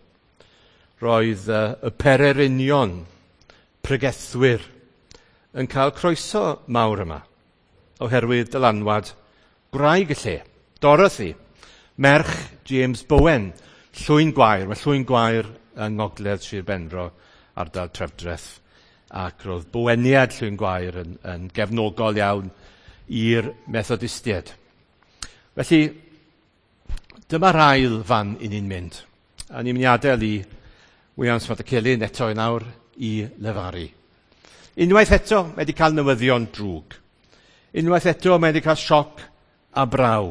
Roedd y pererinion, pregethwyr, yn cael croeso mawr yma, oherwydd dylanwad gwraig y lle, Dorothy, merch James Bowen, Llwyn Gwair. Mae Llwyn Gwair yng Ngogledd Sir Benfro, ardal Trefdraeth, ac roedd Boweniad Llwyn Gwair yn, yn gefnogol iawn i'r Methodistiaid. Felly, dyma'r ail fan i ni'n mynd. A ni'n mynd i adael i Williams Pantycelyn eto yn awr i lefaru. Unwaith eto, mae wedi cael newyddion drwg. Unwaith eto, mae wedi cael sioc a braw,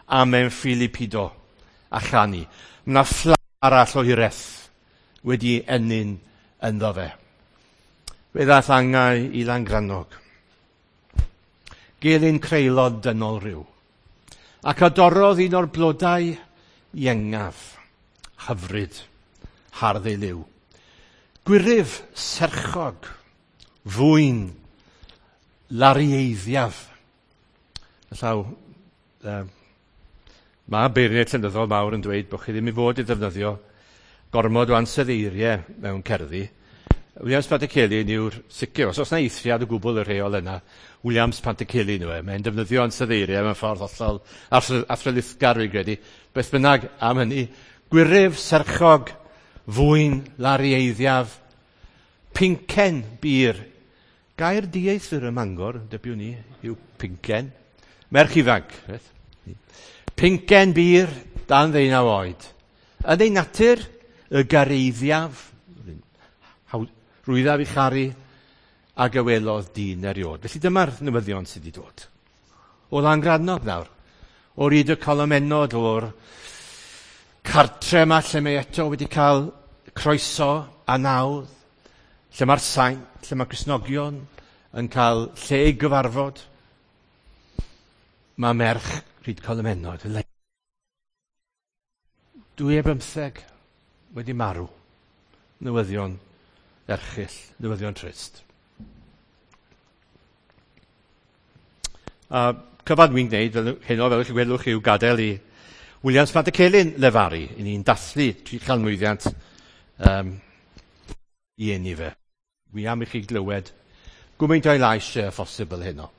a mewn ffili pido a chanu. Mae yna fflam arall o hiraeth wedi ennyn ynddo fe. Fe ddaeth angau i Langrannog. Gelyn creulod dynol rhyw. Ac a dorrodd un o'r blodau iengaf, hyfryd, hardd ei liw. Gwyryf serchog, fwyn, larieiddiaf. Llaw, mae beirniaid llenyddol mawr yn dweud bod chi ddim i fod i ddefnyddio gormod o ansoddeiriau mewn cerddi. Williams Pantycelyn yw'r sicr, os oes yna eithriad o gwbl y rheol yna, Williams Pantycelyn yw e. Mae'n defnyddio ansoddeiriau mewn ffordd hollol athrylithgar, fi'n credu. Beth bynnag am hynny, gwyryf serchog, fwyn, larieiddiaf, pincen bir. Gair dieithr ym Mangor, dybiwn ni, yw pincen. Merch ifanc. Beth? Pincen bir, dan 19 oed. Yn ei natur, y gareiddiaf, rwyddaf i charu, ag y welodd dyn eriod. Felly dyma'r newyddion sydd wedi dod. O Langrannog nawr. O Ryd y Colomennod, o'r cartre yma lle mae eto wedi cael croeso a nawdd, lle mae'r saint, lle mae Cristnogion yn cael lle i gyfarfod. Mae merch Rhyd Colomennod, 2 ar 15 wedi marw. Newyddion erchyll, newyddion trist. A cyfan dwi'n gwneud fel heno, fel chi gwelwch, yw gadael i Williams Pantycelyn lefaru. I ni'n dathlu 300 mlwyddiant i eni fe. Wi am i chi glywed gymaint o'i lais e phosibl heno.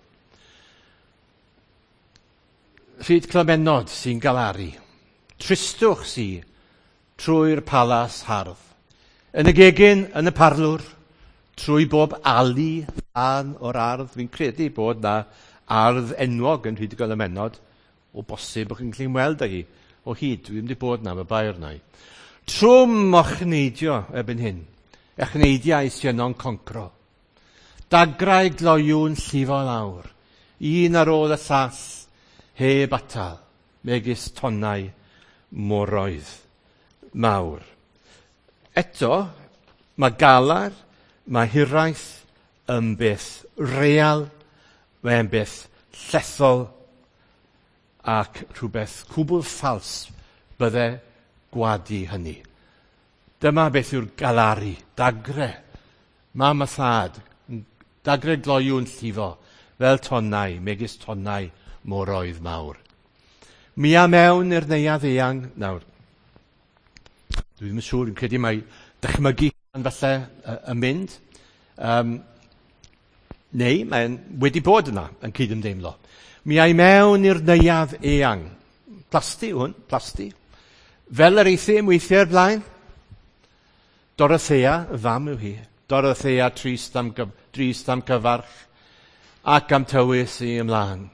Rhyd Clymennod sy'n galaru. Tristwch sy trwy'r palas hardd. Yn y gegin, yn y parlwr, trwy bob ali lan o'r ardd. Fi'n credu bod na ardd enwog yn Rhyd y Golymennod. O bosib bod chi'n gallu weld â hi o hyd. Dwi ddim wedi bod na, mae bair na i. Trwm ochneidio erbyn hyn. Echneidiau sy'n yno'n concro. Dagrau gloyw'n llifo lawr. Un ar ôl y llall, heb atal, megis tonnau moroedd mawr. Eto, mae galar, mae hiraeth yn beth real, mae'n beth llethol ac rhywbeth cwbl ffals bydde gwadu hynny. Dyma beth yw'r galaru, dagre, mam a thad, dagre gloyw'n llifo, fel tonnau, megis tonnau moroedd mawr. Mi a mewn i'r neuadd eang, nawr, dwi ddim yn siŵr, dwi'n credu mai dychmygu falle yn mynd, neu mae'n wedi bod yna yn cydymdeimlo. Mi ai mewn i'r neuadd eang. Plasty hwn, plasty. Fel yr euthum weithiau o'r blaen. Dorothea, y fam yw hi. Dorothea trist am cyfarch ac am tywys i ymlaen.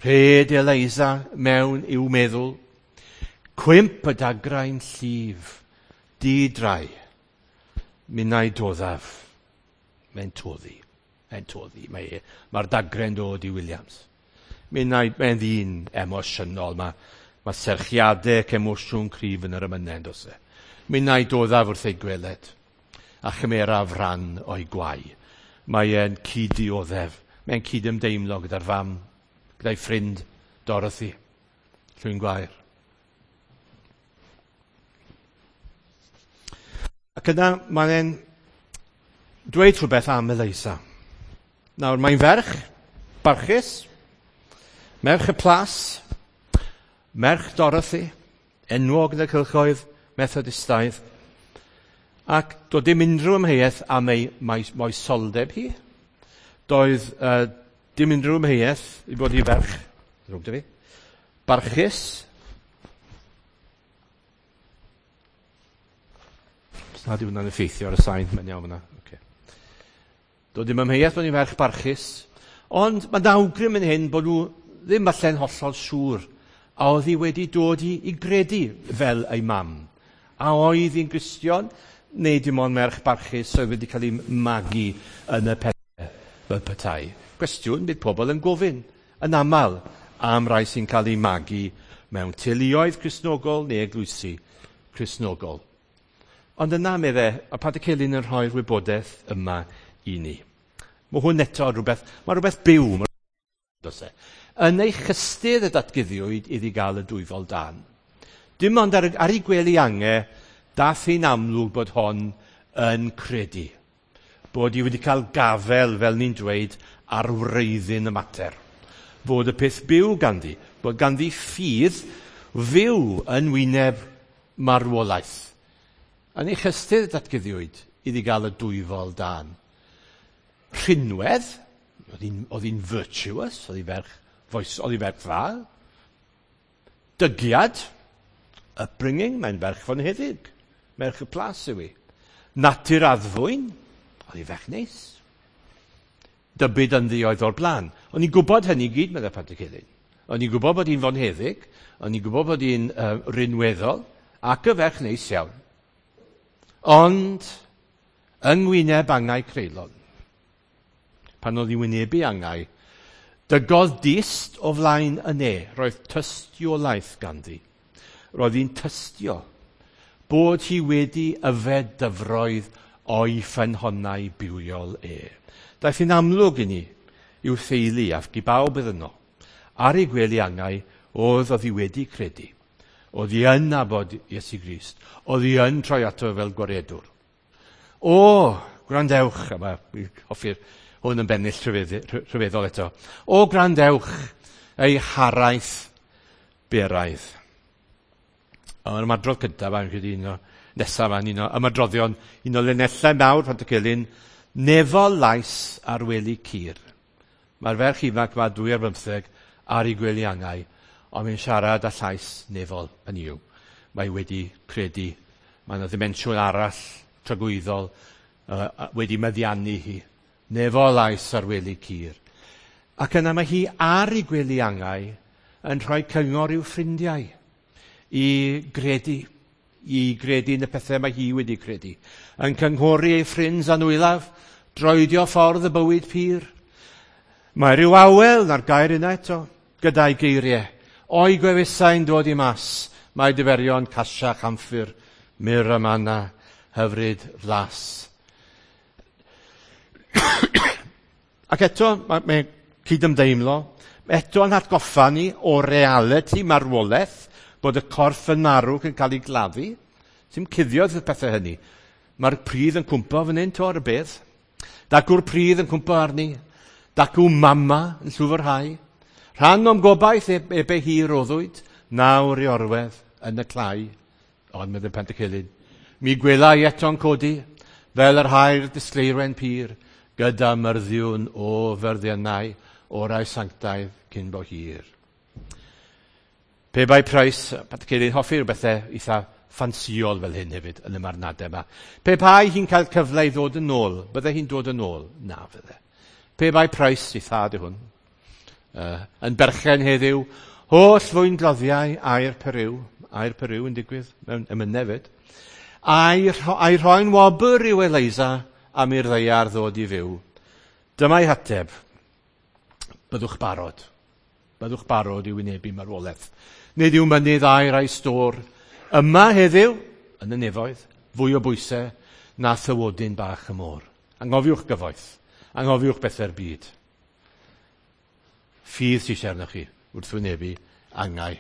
Rhed Eliza mewn i'w meddwl. Cwymp y dagrau'n llif, di-drai. Minnau doddaf. Mae'n toddi. Mae'n toddi. Mae'r dagre'n dod i Williams. Minnau, mae'n ddyn emosiynol. Mae serchiadau ac emosiwn cryf yn yr emynau, does e? Minnau doddaf wrth ei gweled a chymeraf ran o'i gwau. Mae e'n cyd-dioddef. Mae'n cyd-ymdeimlo gyda'r fam, gyda'i ffrind Dorothy, Llwyn Gwair. Ac yna mae'n dweud rhywbeth am Eliza. Nawr, mae'n ferch barchus, merch y plas, merch Dorothy, enwog yn y cylchoedd Methodistaidd, ac doedd dim unrhyw amheuaeth am ei moesoldeb hi. Doedd dim unrhyw amheuaeth i bod hi ferch, ddrwg 'da fi, barchus. Os nad yw hwnna'n effeithio ar y sain, mae'n iawn fyna. Okay. Doedd dim amheuaeth bod hi'n ferch barchus, ond mae'n awgrym yn hyn bod nhw ddim falle'n hollol siŵr a oedd hi wedi dod i gredu fel ei mam. A oedd hi'n Gristion, neu dim ond merch barchus oedd wedi cael ei magu yn y pethau fel petai. Cwestiwn bydd pobl yn gofyn yn aml am rai sy'n cael ei magu mewn teuluoedd Cristnogol neu eglwysi Cristnogol. Ond yna, medde, a Pantycelyn yn rhoi'r wybodaeth yma i ni. Mae hwn eto rhywbeth, mae rhywbeth byw, does e? Yn ei chystudd y datguddiwyd iddi gael y dwyfol dan. Dim ond ar ei gwely ange, dath hi'n amlwg bod hon yn credu. Bod hi wedi cael gafel, fel ni'n dweud, ar wreiddyn y mater. Fod y peth byw ganddi, bod ganddi ffydd fyw yn wyneb marwolaeth. Yn ei chystudd datguddiwyd iddi gael y dwyfol dân. Rhinwedd, oedd hi'n virtuous, oedd hi ferch, oedd hi ferch dda. Dygiad, upbringing, mae'n ferch fonheddig, merch y plas yw hi. Natur addfwyn, oedd hi ferch neis. Dybyd ynddi oedd o'r blaen. O'n i'n gwybod hynny gyd, meddai Pantycelyn. O'n i'n gwybod bod hi'n fonheddig, o'n i'n gwybod bod hi'n rinweddol, ac y ferch neis iawn. Ond, yng ngwyneb angau creulon, pan oedd hi wynebu angau, dygodd dist o flaen y ne, roedd tystiolaeth ganddi. Roedd hi'n tystio bod hi wedi yfed dyfroedd o'i ffynhonnau bywiol e. Daeth hi'n amlwg i ni i'w theulu ac i bawb oedd yno. Ar ei gwely angau, oedd hi wedi credu. Oedd hi yn nabod Iesu Grist. Oedd hi yn troi ato fel gwaredwr. O, gwrandewch, a mae hoffi'r hwn yn bennill rhyfeddol eto. O, gwrandewch, ei haraith beraidd. Ond ymadrodd cyntaf, a'n credu un o nesaf, a'n un o ymadroddion, un o linellau mawr Pantycelyn, nefol lais ar wely cur. Mae'r ferch ifanc yma 2 ar 15 ar ei gwely angau, ond mae'n siarad â llais nefol, hynny yw. Mae wedi credu, mae yna ddimensiwn arall tragwyddol wedi meddiannu hi. Nefol lais ar wely cur. Ac yna mae hi ar ei gwely angau yn rhoi cyngor i'w ffrindiau i gredu yn y pethau mae hi wedi credu. Yn cynghori ei ffrind anwylaf, droedio ffordd y bywyd pur. Mae rhyw awel na'r gair yna eto, gyda'i geiriau. O'i gwefusau'n dod i mas, mae diferion casia chamffyr, myr a manna, hyfryd flas. Ac eto, mae cydymdeimlo, eto yn atgoffa ni o realiti marwolaeth, bod y corff yn marw yn cael ei gladdu. Sy'n cuddiodd y pethau hynny. Mae'r pridd yn cwmpo fan hyn, to ar y bedd. Dacw'r pridd yn cwmpo arni. Dacw mama yn llwfrhau. Rhan o'm gobaith ebe hi roddwyd, nawr i orwedd yn y clai. Ond meddai Pantycelyn, mi gwela i eto'n codi, fel yr hair disgleirwen pur, gyda myrddiwn o fyrddiannau orau sanctaidd cyn bo hir. Pe bai Price, Pantycelyn hoffi rhywbethau eitha ffansïol fel hyn hefyd yn y marnadau yma. Pe bai hi'n cael cyfle i ddod yn ôl, bydde hi'n dod yn ôl? Na fydde. Pe bai Price, ei thad yw hwn, yn berchen heddiw, holl fwyngloddiau aur Periw yn digwydd mewn emynau hefyd, a'i rhoi'n wobr i'w Eliza am i'r ddaear ddod i fyw. Dyma'i hateb. Byddwch barod. Byddwch barod i wynebu marwolaeth. Nid yw mynydd aur a'i stôr. Yma heddiw, yn y nefoedd, fwy o bwysau na thywodyn bach y môr. Anghofiwch gyfoeth. Anghofiwch bethau'r byd. Ffydd sy'n eisiau arnoch chi wrth wynebu angau.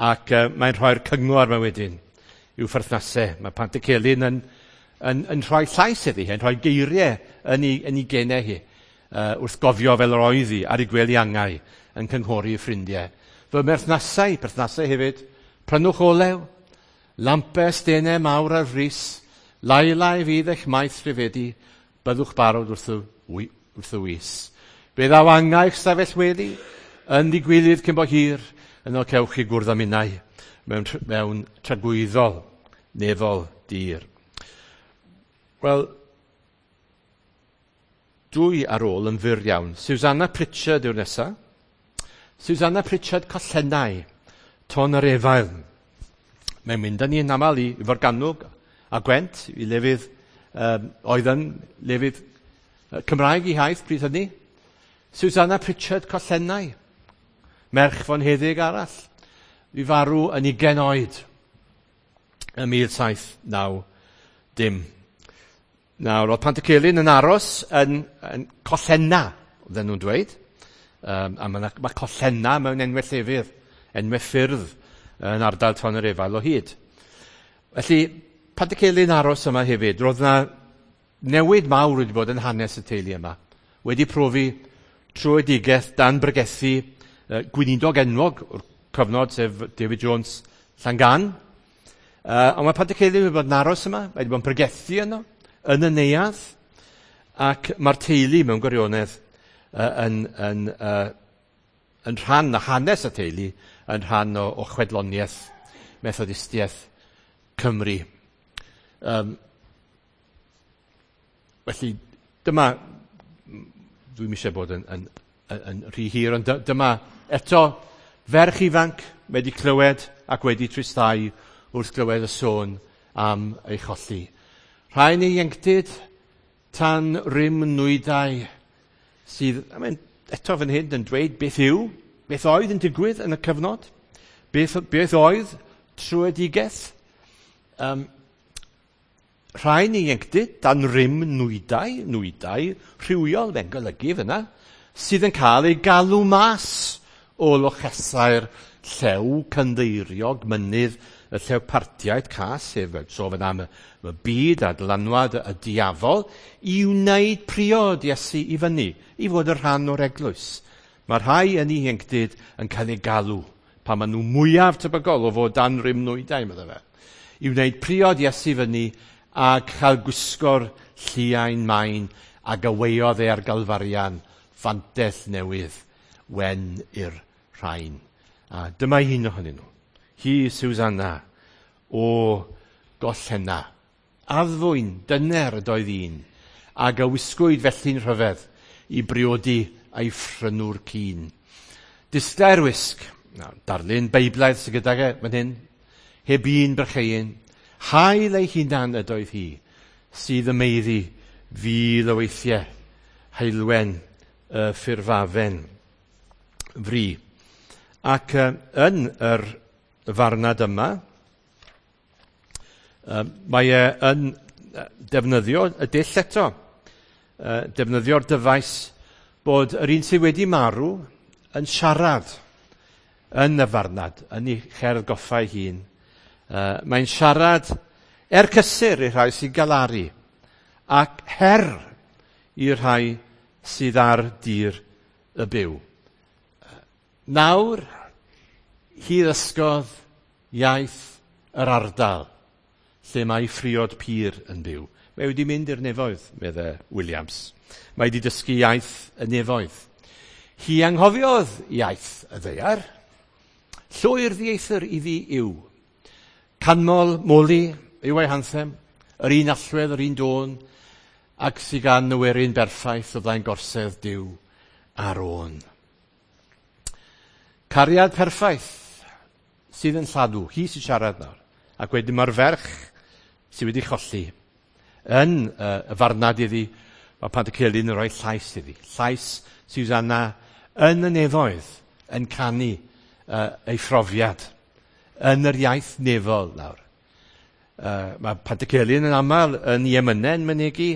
Ac mae'n rhoi'r cyngor yma wedyn i'w pherthnasau. Mae Pantycelyn yn rhoi llais iddi hi, yn rhoi geiriau yn ei genau hi, wrth gofio fel yr oedd hi ar ei gwely angau yn cynghori ei ffrindiau. Fy mherthnasau hefyd, prynwch olew, lampau stenau mawr ar frys, lai fydd eich maeth rhyfedu, byddwch barod wrth y wys. Fe ddaw angau eich stafell wely, yn ddigwylydd cyn bo hir, yno cewch chi gwrdd â minnau mewn tragwyddol, nefol dir. Wel, dwy ar ôl yn fyr iawn. Susanna Pritchard yw'r nesaf. Susanna Pritchard Collennau, Ton yr Efail. Mae'n mynd â ni yn aml i Forgannwg a Gwent, i lefydd oedd yn lefydd Cymraeg i haith pryd hynny. Susanna Pritchard Collennau, merch fonheddig arall, i farw yn 20 oed ym 1790. Nawr, oedd Pantycelyn yn aros yn Collenna, oedden nhw'n dweud. A mae Collenna mewn enwau llefydd, enwau ffyrdd yn ardal Tonyrefail o hyd. Felly, Pantycelyn aros yma hefyd, roedd yna newid mawr wedi bod yn hanes y teulu yma. Wedi profi tröedigaeth dan bregethu gweinidog enwog o'r cyfnod, sef David Jones Llangan. Ond mae Pantycelyn wedi bod yn aros yma, mae wedi bod yn pregethu yno, yn y neuadd, ac mae'r teulu mewn gwirionedd yn rhan o hanes y teulu, yn rhan o chwedloniaeth Methodistiaeth Cymru. Felly, dyma, dwi'm eisiau bod yn rhy hir, ond dyma eto ferch ifanc wedi clywed ac wedi tristau wrth glywed y sôn am ei cholli. Rhai yn ieuenctid tan rym nwydau sydd, I mean, eto fan hyn yn dweud beth yw, beth oedd yn digwydd yn y cyfnod, beth oedd tröedigaeth. Rhai yn ieuenctid dan rym nwydau rhywiol, fe'n golygu fyna, sydd yn cael ei galw mas o lochesau'r llew cynddeiriog mynydd, y llew partiaid cas, sef so fan am y byd a dylanwad y diafol, i wneud priod Iesu i fyny, i fod yn rhan o'r eglwys. Mae rhai yn ieuenctid yn cael ei galw, pan maen nhw mwyaf tebygol o fod dan rym nwydau, meddai fe, i wneud priod Iesu fyny a cael gwisgo'r lliain main a gyweiodd e ar Galfarian fantell newydd wen i'r rhain. A dyma un ohonyn nhw. Hi, Susanna, o Gollenna. Addfwyn, dyner ydoedd un, ac a wisgwyd felly'n rhyfedd i briodi a'i phrynwr cyn. Disglair wisg, darlun Beiblaidd sydd gydag e fan hyn, heb un brycheuyn, hael ei hunan ydoedd hi, sydd ym meiddi fil o weithiau, heulwen y ffurfafen fri. Ac yn yr farnad yma, mae e yn defnyddio y dull eto, defnyddio'r dyfais bod yr un sydd wedi marw yn siarad yn y farnad, yn ei cherdd goffa ei hun. Mae'n siarad er cysur i'r rhai sy'n galaru ac her i'r rhai sydd ar dir y byw. Nawr, hi ddysgodd iaith yr ardal lle mae phriod pur yn byw. Mae wedi mynd i'r nefoedd, meddai Williams. Mae wedi dysgu iaith y nefoedd. Hi anghofiodd iaith y ddaear. Llwyr ddieithr iddi yw. Canmol, moli yw ei hanthem, yr un allwedd, yr un dôn, ac sydd gan y werin berffaith o flaen gorsedd Duw ar ôn. Cariad perffaith sydd yn lladw, hi sy'n siarad nawr, ac wedyn mae'r ferch sydd wedi cholli yn y farnad iddi, mae Pantycelyn yn rhoi llais iddi. Llais Susanna yn y nefoedd yn canu ei phrofiad yn yr iaith nefol nawr. Mae Pantycelyn yn aml yn ei emynau yn mynegi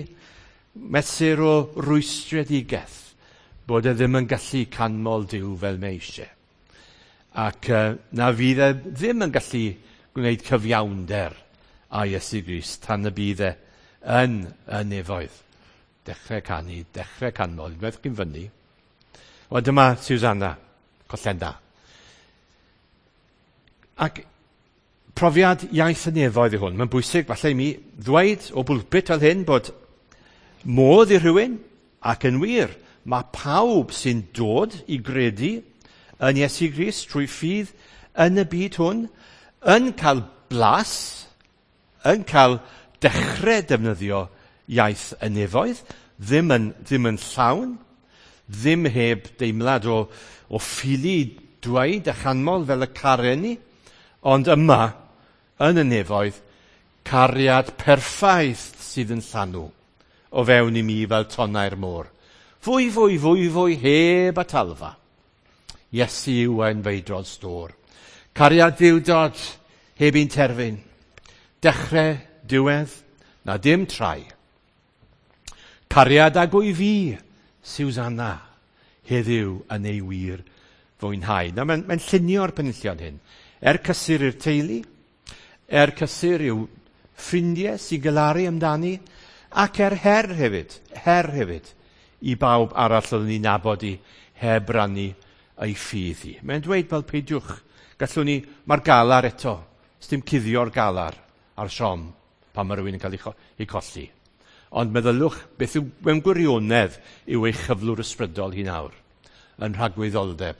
mesur o rwystredigaeth bod e ddim yn gallu canmol Duw fel mae eisiau. Ac na fydd e ddim yn gallu gwneud cyfiawnder â Iesu Grist tan y bydd e yn y nefoedd. Dechrau canu, dechrau canmol, unwaith chi'n fyny. Wel, dyma Susanna, Collenna. Ac profiad iaith y nefoedd yw hwn. Mae'n bwysig falle i mi ddweud o bwlpit fel hyn bod modd i rhywun, ac yn wir, mae pawb sy'n dod i gredu yn Iesu Grist trwy ffydd yn y byd hwn, yn cael blas, yn cael dechrau defnyddio iaith y nefoedd, ddim yn llawn, ddim heb deimlad o ffili dweud a chanmol fel y caren ni, ond yma, yn y nefoedd, cariad perffaith sydd yn llanw o fewn i mi fel tonnau'r môr. Fwy, fwy, fwy, fwy, heb atalfa. Iesu yw ein feidrol stôr. Cariad ddiwdod heb un terfyn. Dechrau, diwedd, na dim trai. Cariad ag wyf fi, Susanna, heddiw yn ei wir fwynhau. Nawr, mae'n llunio'r penillion hyn. Er cysur i'r teulu, er cysur i'w ffrindiau sy'n galaru amdani, ac er her hefyd, i bawb arall oedden ni'n nabod i heb rannu ei ffydd hi. Mae'n dweud fel peidiwch, gallwn ni, mae'r galar eto, sdim cuddio'r galar a'r siom pan mae rhywun yn cael ei colli. Ond meddylwch beth yw mewn gwirionedd yw ei chyflwr ysbrydol hi nawr, yn rhagwyddoldeb.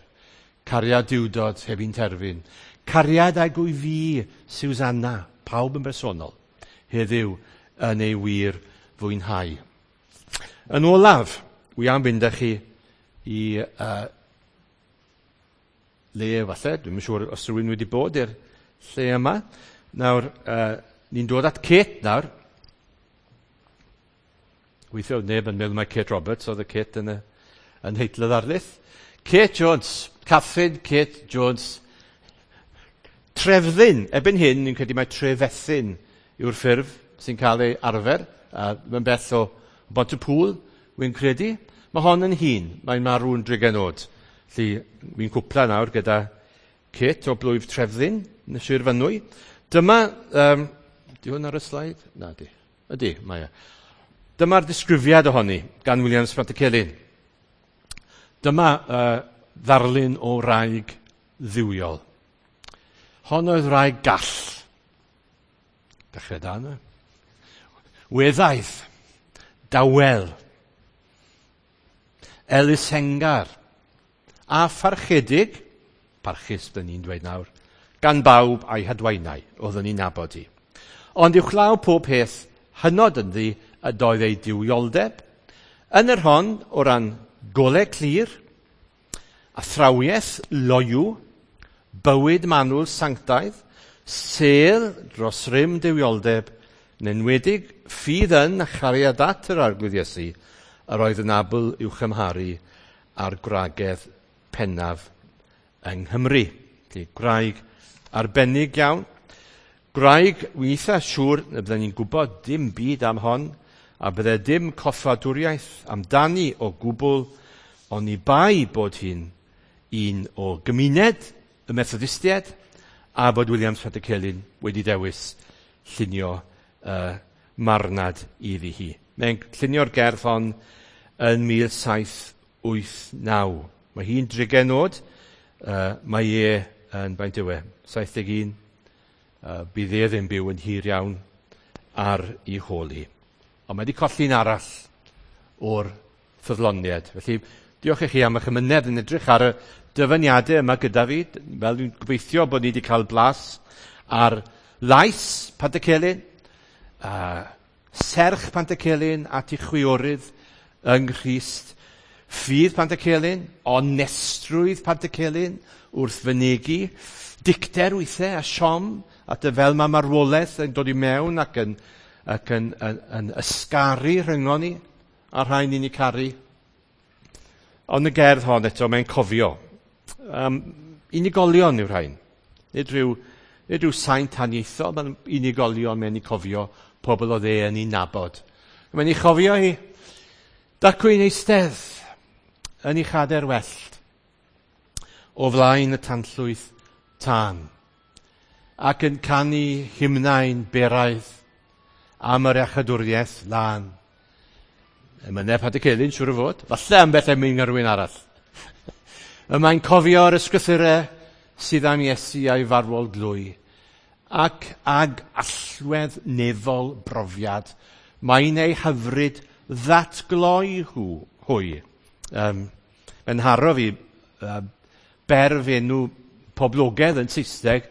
Cariad diwdod heb un terfyn. Cariad ag wyf fi, Susanna, pawb yn bersonol, heddiw yn ei wir fwynhau. Yn olaf, wi am fynd â chi i le falle, dwi'm yn siŵr os rhywun wedi bod i'r lle yma. Nawr, ni'n dod at Kate nawr. Weithio oedd neb yn meddwl mai Kate Roberts oedd y Kate yn nheitl y ddarlith. Kate Jones, Catherine Kate Jones. Trefddyn, erbyn hyn, ni'n credu mai Trefethyn yw'r ffurf sy'n cael ei arfer. Mae'n bell o Bont-y-pŵl, wy'n credu. Mae hon yn hun, mae'n marw'n drigain oed. Felly, wy'n cwpla nawr gyda Kate o blwyf Trefddyn yn y Sir Fynwy. Dyma, di hwn ar y sleid? Na, di. Ydy, mae e. Dyma'r disgrifiad ohoni gan Williams Pantycelyn. Dyma ddarlun o wraig dduwiol. Hon oedd wraig gall. Dechrau da yna. Weddaidd, dawel, elusengar, a pharchedig, parchus byddwn ni'n dweud nawr, gan bawb a'i hadwaenau, oeddwn ni'n nabod hi. Ond uwchlaw pob peth hynod ynddi ydoedd ei duwioldeb, yn yr hon o ran golau clir, athrawiaeth loyw, bywyd manwl sanctaidd, sêl dros rym duwioldeb, yn enwedig ffydd yn a chariad at yr Arglwydd Iesu, yr oedd yn abl i'w chymharu â'r gwragedd pennaf yng Nghymru. Felly, gwraig arbennig iawn. Gwraig, wi'n eitha siŵr na bydden ni'n gwybod dim byd am hon, a bydde dim coffadwriaeth amdani o gwbl, oni bai bod hi'n un o gymuned y Methodistiaid, a bod Williams Pantycelyn wedi dewis llunio marnad iddi hi. Mae'n llunio'r gerdd hon yn 1789. Mae hi'n drigain oed, mae e yn, faint yw e, 71. Bydd e ddim byw yn hir iawn ar ei hôl hi. Ond mae wedi colli'n arall o'r ffyddloniad. Felly, diolch i chi am eich ymynedd yn edrych ar y dyfyniadau yma gyda fi. Fel dwi'n gobeithio bod ni wedi cael blas ar lais Pantycelyn, serch Pantycelyn at ei chwiorydd yng Nghrist, ffydd Pantycelyn, onestrwydd Pantycelyn wrth fynegi, dicter weithiau a siom, at y fel mae marwolaeth yn dod i mewn ac yn ysgaru rhyngon ni a'r rhai ni'n eu caru. Ond y gerdd hon eto, mae'n cofio. Unigolion yw'r rhain. Nid rhyw saint haniaethol, mae'n unigolion mae'n eu cofio pobl oedd e yn ei nabod. Mae'n ei chofio hi, dacw i'n eistedd yn ei chader wellt o flaen y tanllwyth tân ac yn canu hymnau'n beraidd am yr iachadwriaeth lân. Emynau Pantycelyn, siŵr o fod. Falle ambell emyn rhywun arall. Y mae'n cofio'r ysgrythurau sydd am Iesu a'i farwol glwy ac ag allwedd nefol brofiad mae'n ei hyfryd ddatgloi hwy. Mae'n haro fi berf enw poblogaidd yn Saesneg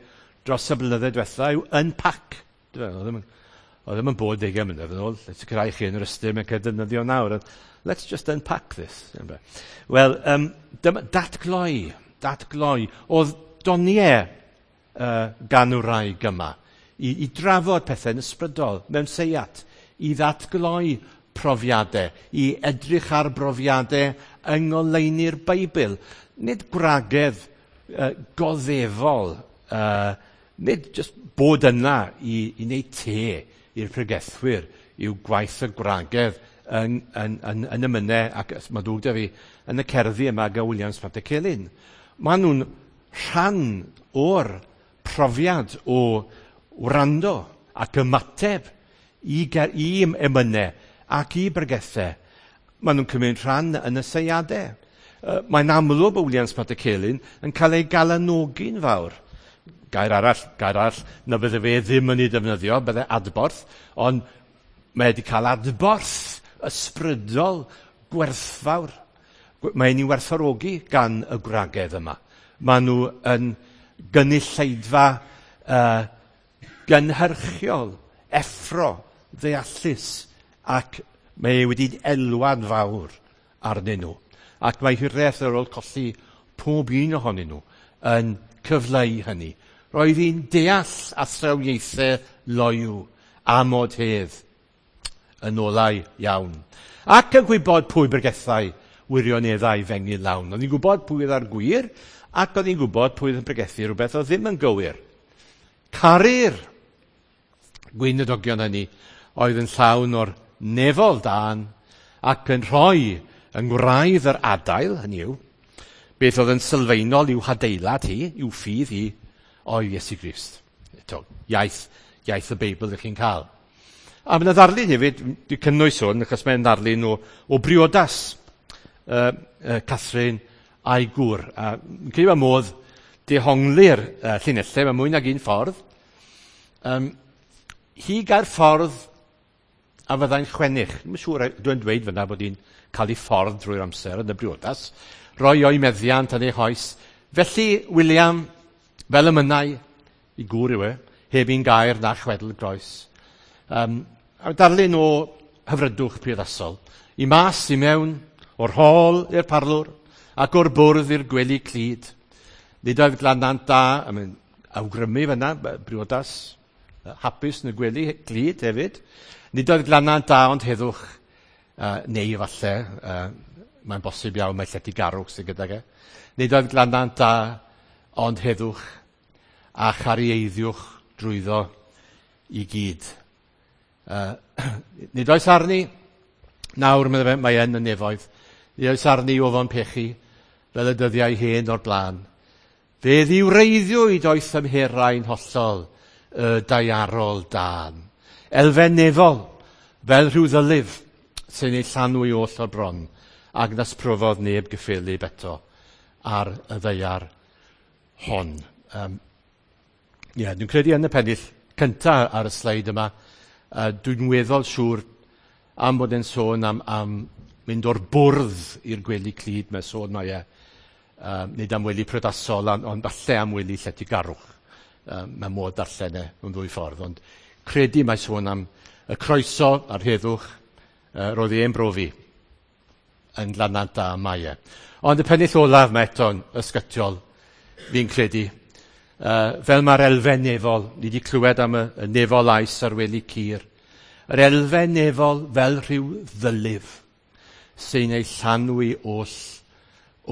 dros y blynyddoedd diwetha yw unpack. Oedd ddim yn bod 20 mlynedd yn ôl. Let's sicrhau chi yn yr ystyr mae'n cael defnyddio nawr. Let's just unpack this. Wel, dyma, datgloi. Oedd doniau gan wraig yma i drafod pethau yn ysbrydol mewn seiat, i ddatgloi profiadau, i edrych ar brofiadau yng ngoleuni'r Beibl. Nid gwragedd goddefol, nid just bod yna i wneud te i'r pregethwyr, i'w gwaith y gwragedd yn y mynau, ac mae ddwg da fi yn y cerddi yma gan Williams Pantycelyn. Maen nhw'n rhan o'r profiad o wrando ac ymateb i emynau ac i bregethau. Maen nhw'n cymryd rhan yn y seiadau. Mae'n amlwg bod Williams Pantycelyn yn cael ei galanogi'n fawr. Gair arall, na bydde fe ddim yn ei defnyddio, bydde adborth, ond mae wedi cael adborth ysbrydol gwerthfawr. Mae'n ei werthfawrogi gan y gwragedd yma. Maen nhw yn gynulleidfa gynhyrchiol, effro, ddeallus, ac mae wedi elwa'n fawr arnyn nhw. Ac mae hiraeth ar ôl colli pob un ohonyn nhw yn cyfleu hynny. Roedd hi'n deall athrawiaethau loyw a modhedd yn olau iawn. Ac yn gwybod pwy bregethau wirioneddau fengyn lawn. Oedd hi'n gwybod pwy oedd ar gwir, ac oedd hi'n gwybod pwy oedd yn pregethu rhywbeth oedd ddim yn gywir. Caru'r gweinidogion hynny oedd yn llawn o'r nefol dân ac yn rhoi yng ngwraidd yr adail, hynny yw, beth oedd yn sylfaenol i'w hadeilad hi, i'w ffydd hi, oedd Iesu Grist. Eto, iaith y Beibl ydych chi'n cael. A mae yna ddarlun hefyd, dwi'n cynnwys hwn, achos mae'n ddarlun o briodas Catherine a'i gŵr. A yn credu bod modd dehongli'r llinellau, mae mwy nag un ffordd. Hi gael ffordd a fyddai'n chwennych. Dwi'n siŵr, dwi'n dweud fyna bod hi'n cael ei ffordd drwy'r amser yn y briodas. Roi o'i meddiant yn ei hoes. Felly, William, fel y mynnau, i gŵr yw e, heb un gair na chwedl groes. A darlun o hyfrydwch priodasol. I mas, i mewn, o'r hôl i'r parlwr, ac o'r bwrdd i'r gwely clyd. Nid oedd glanant da, a mae'n awgrymu fyna, briodas hapus yn y gwely glyd hefyd. Nid oedd glanant da ond heddwch, neu falle, mae'n bosib iawn mae lletygarwch sydd gydag e. Nid oedd glanant da ond heddwch a charieiddiwch drwyddo i gyd. Nid oes arni, nawr mae yn y nefoedd, nid oes arni ofon pechu fel y dyddiau hen o'r blaen. Fe ddiwreiddiwyd o'i thymherau'n hollol y daearol dân. Elfen nefol, fel rhyw ddylif sy'n ei llanw i oll o'r bron, ac nas profodd neb gyffelyb eto ar y ddaear hon. Dwi'n credu yn y pennill cyntaf ar y sleid yma, dwi'n weddol siŵr am bod e'n sôn am mynd o'r bwrdd i'r gwely clyd, mae sôn mae e, nid am wely priodasol, ond falle am wely lletygarwch. Mae modd darllen e mewn ddwy ffordd, ond credu mae sôn am y croeso a'r heddwch roedd e'n brofi yn glanant da mae e. Ond y pennill olaf mae eto'n ysgytiol, fi'n credu. Fel mae'r elfen nefol, ni wedi clywed am y nefol ais ar wely cur, yr elfen nefol fel rhyw ddylif sy'n ei llanwi oll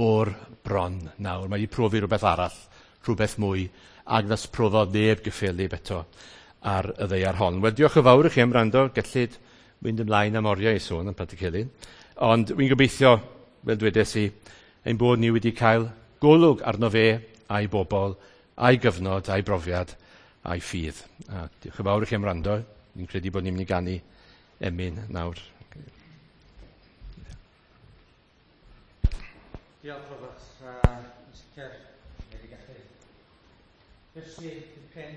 o'r bron nawr. Mae wedi profi rhywbeth arall, rhywbeth mwy, ac nas profodd neb gyffelyb eto ar y ddaear hon. Wel, diolch yn fawr i chi am wrando. Gellid mynd ymlaen am oriau i sôn am Pantycelyn. Ond wy'n gobeithio, fel dwedes i, ein bod ni wedi cael golwg arno fe a'i bobl, a'i gyfnod, a'i brofiad, a'i ffydd. A diolch yn fawr i chi am wrando. Ni'n credu bod ni'n mynd i ganu emyn nawr. Diolch, Robert. Yn sicr, wedi gallu dysgu dipyn.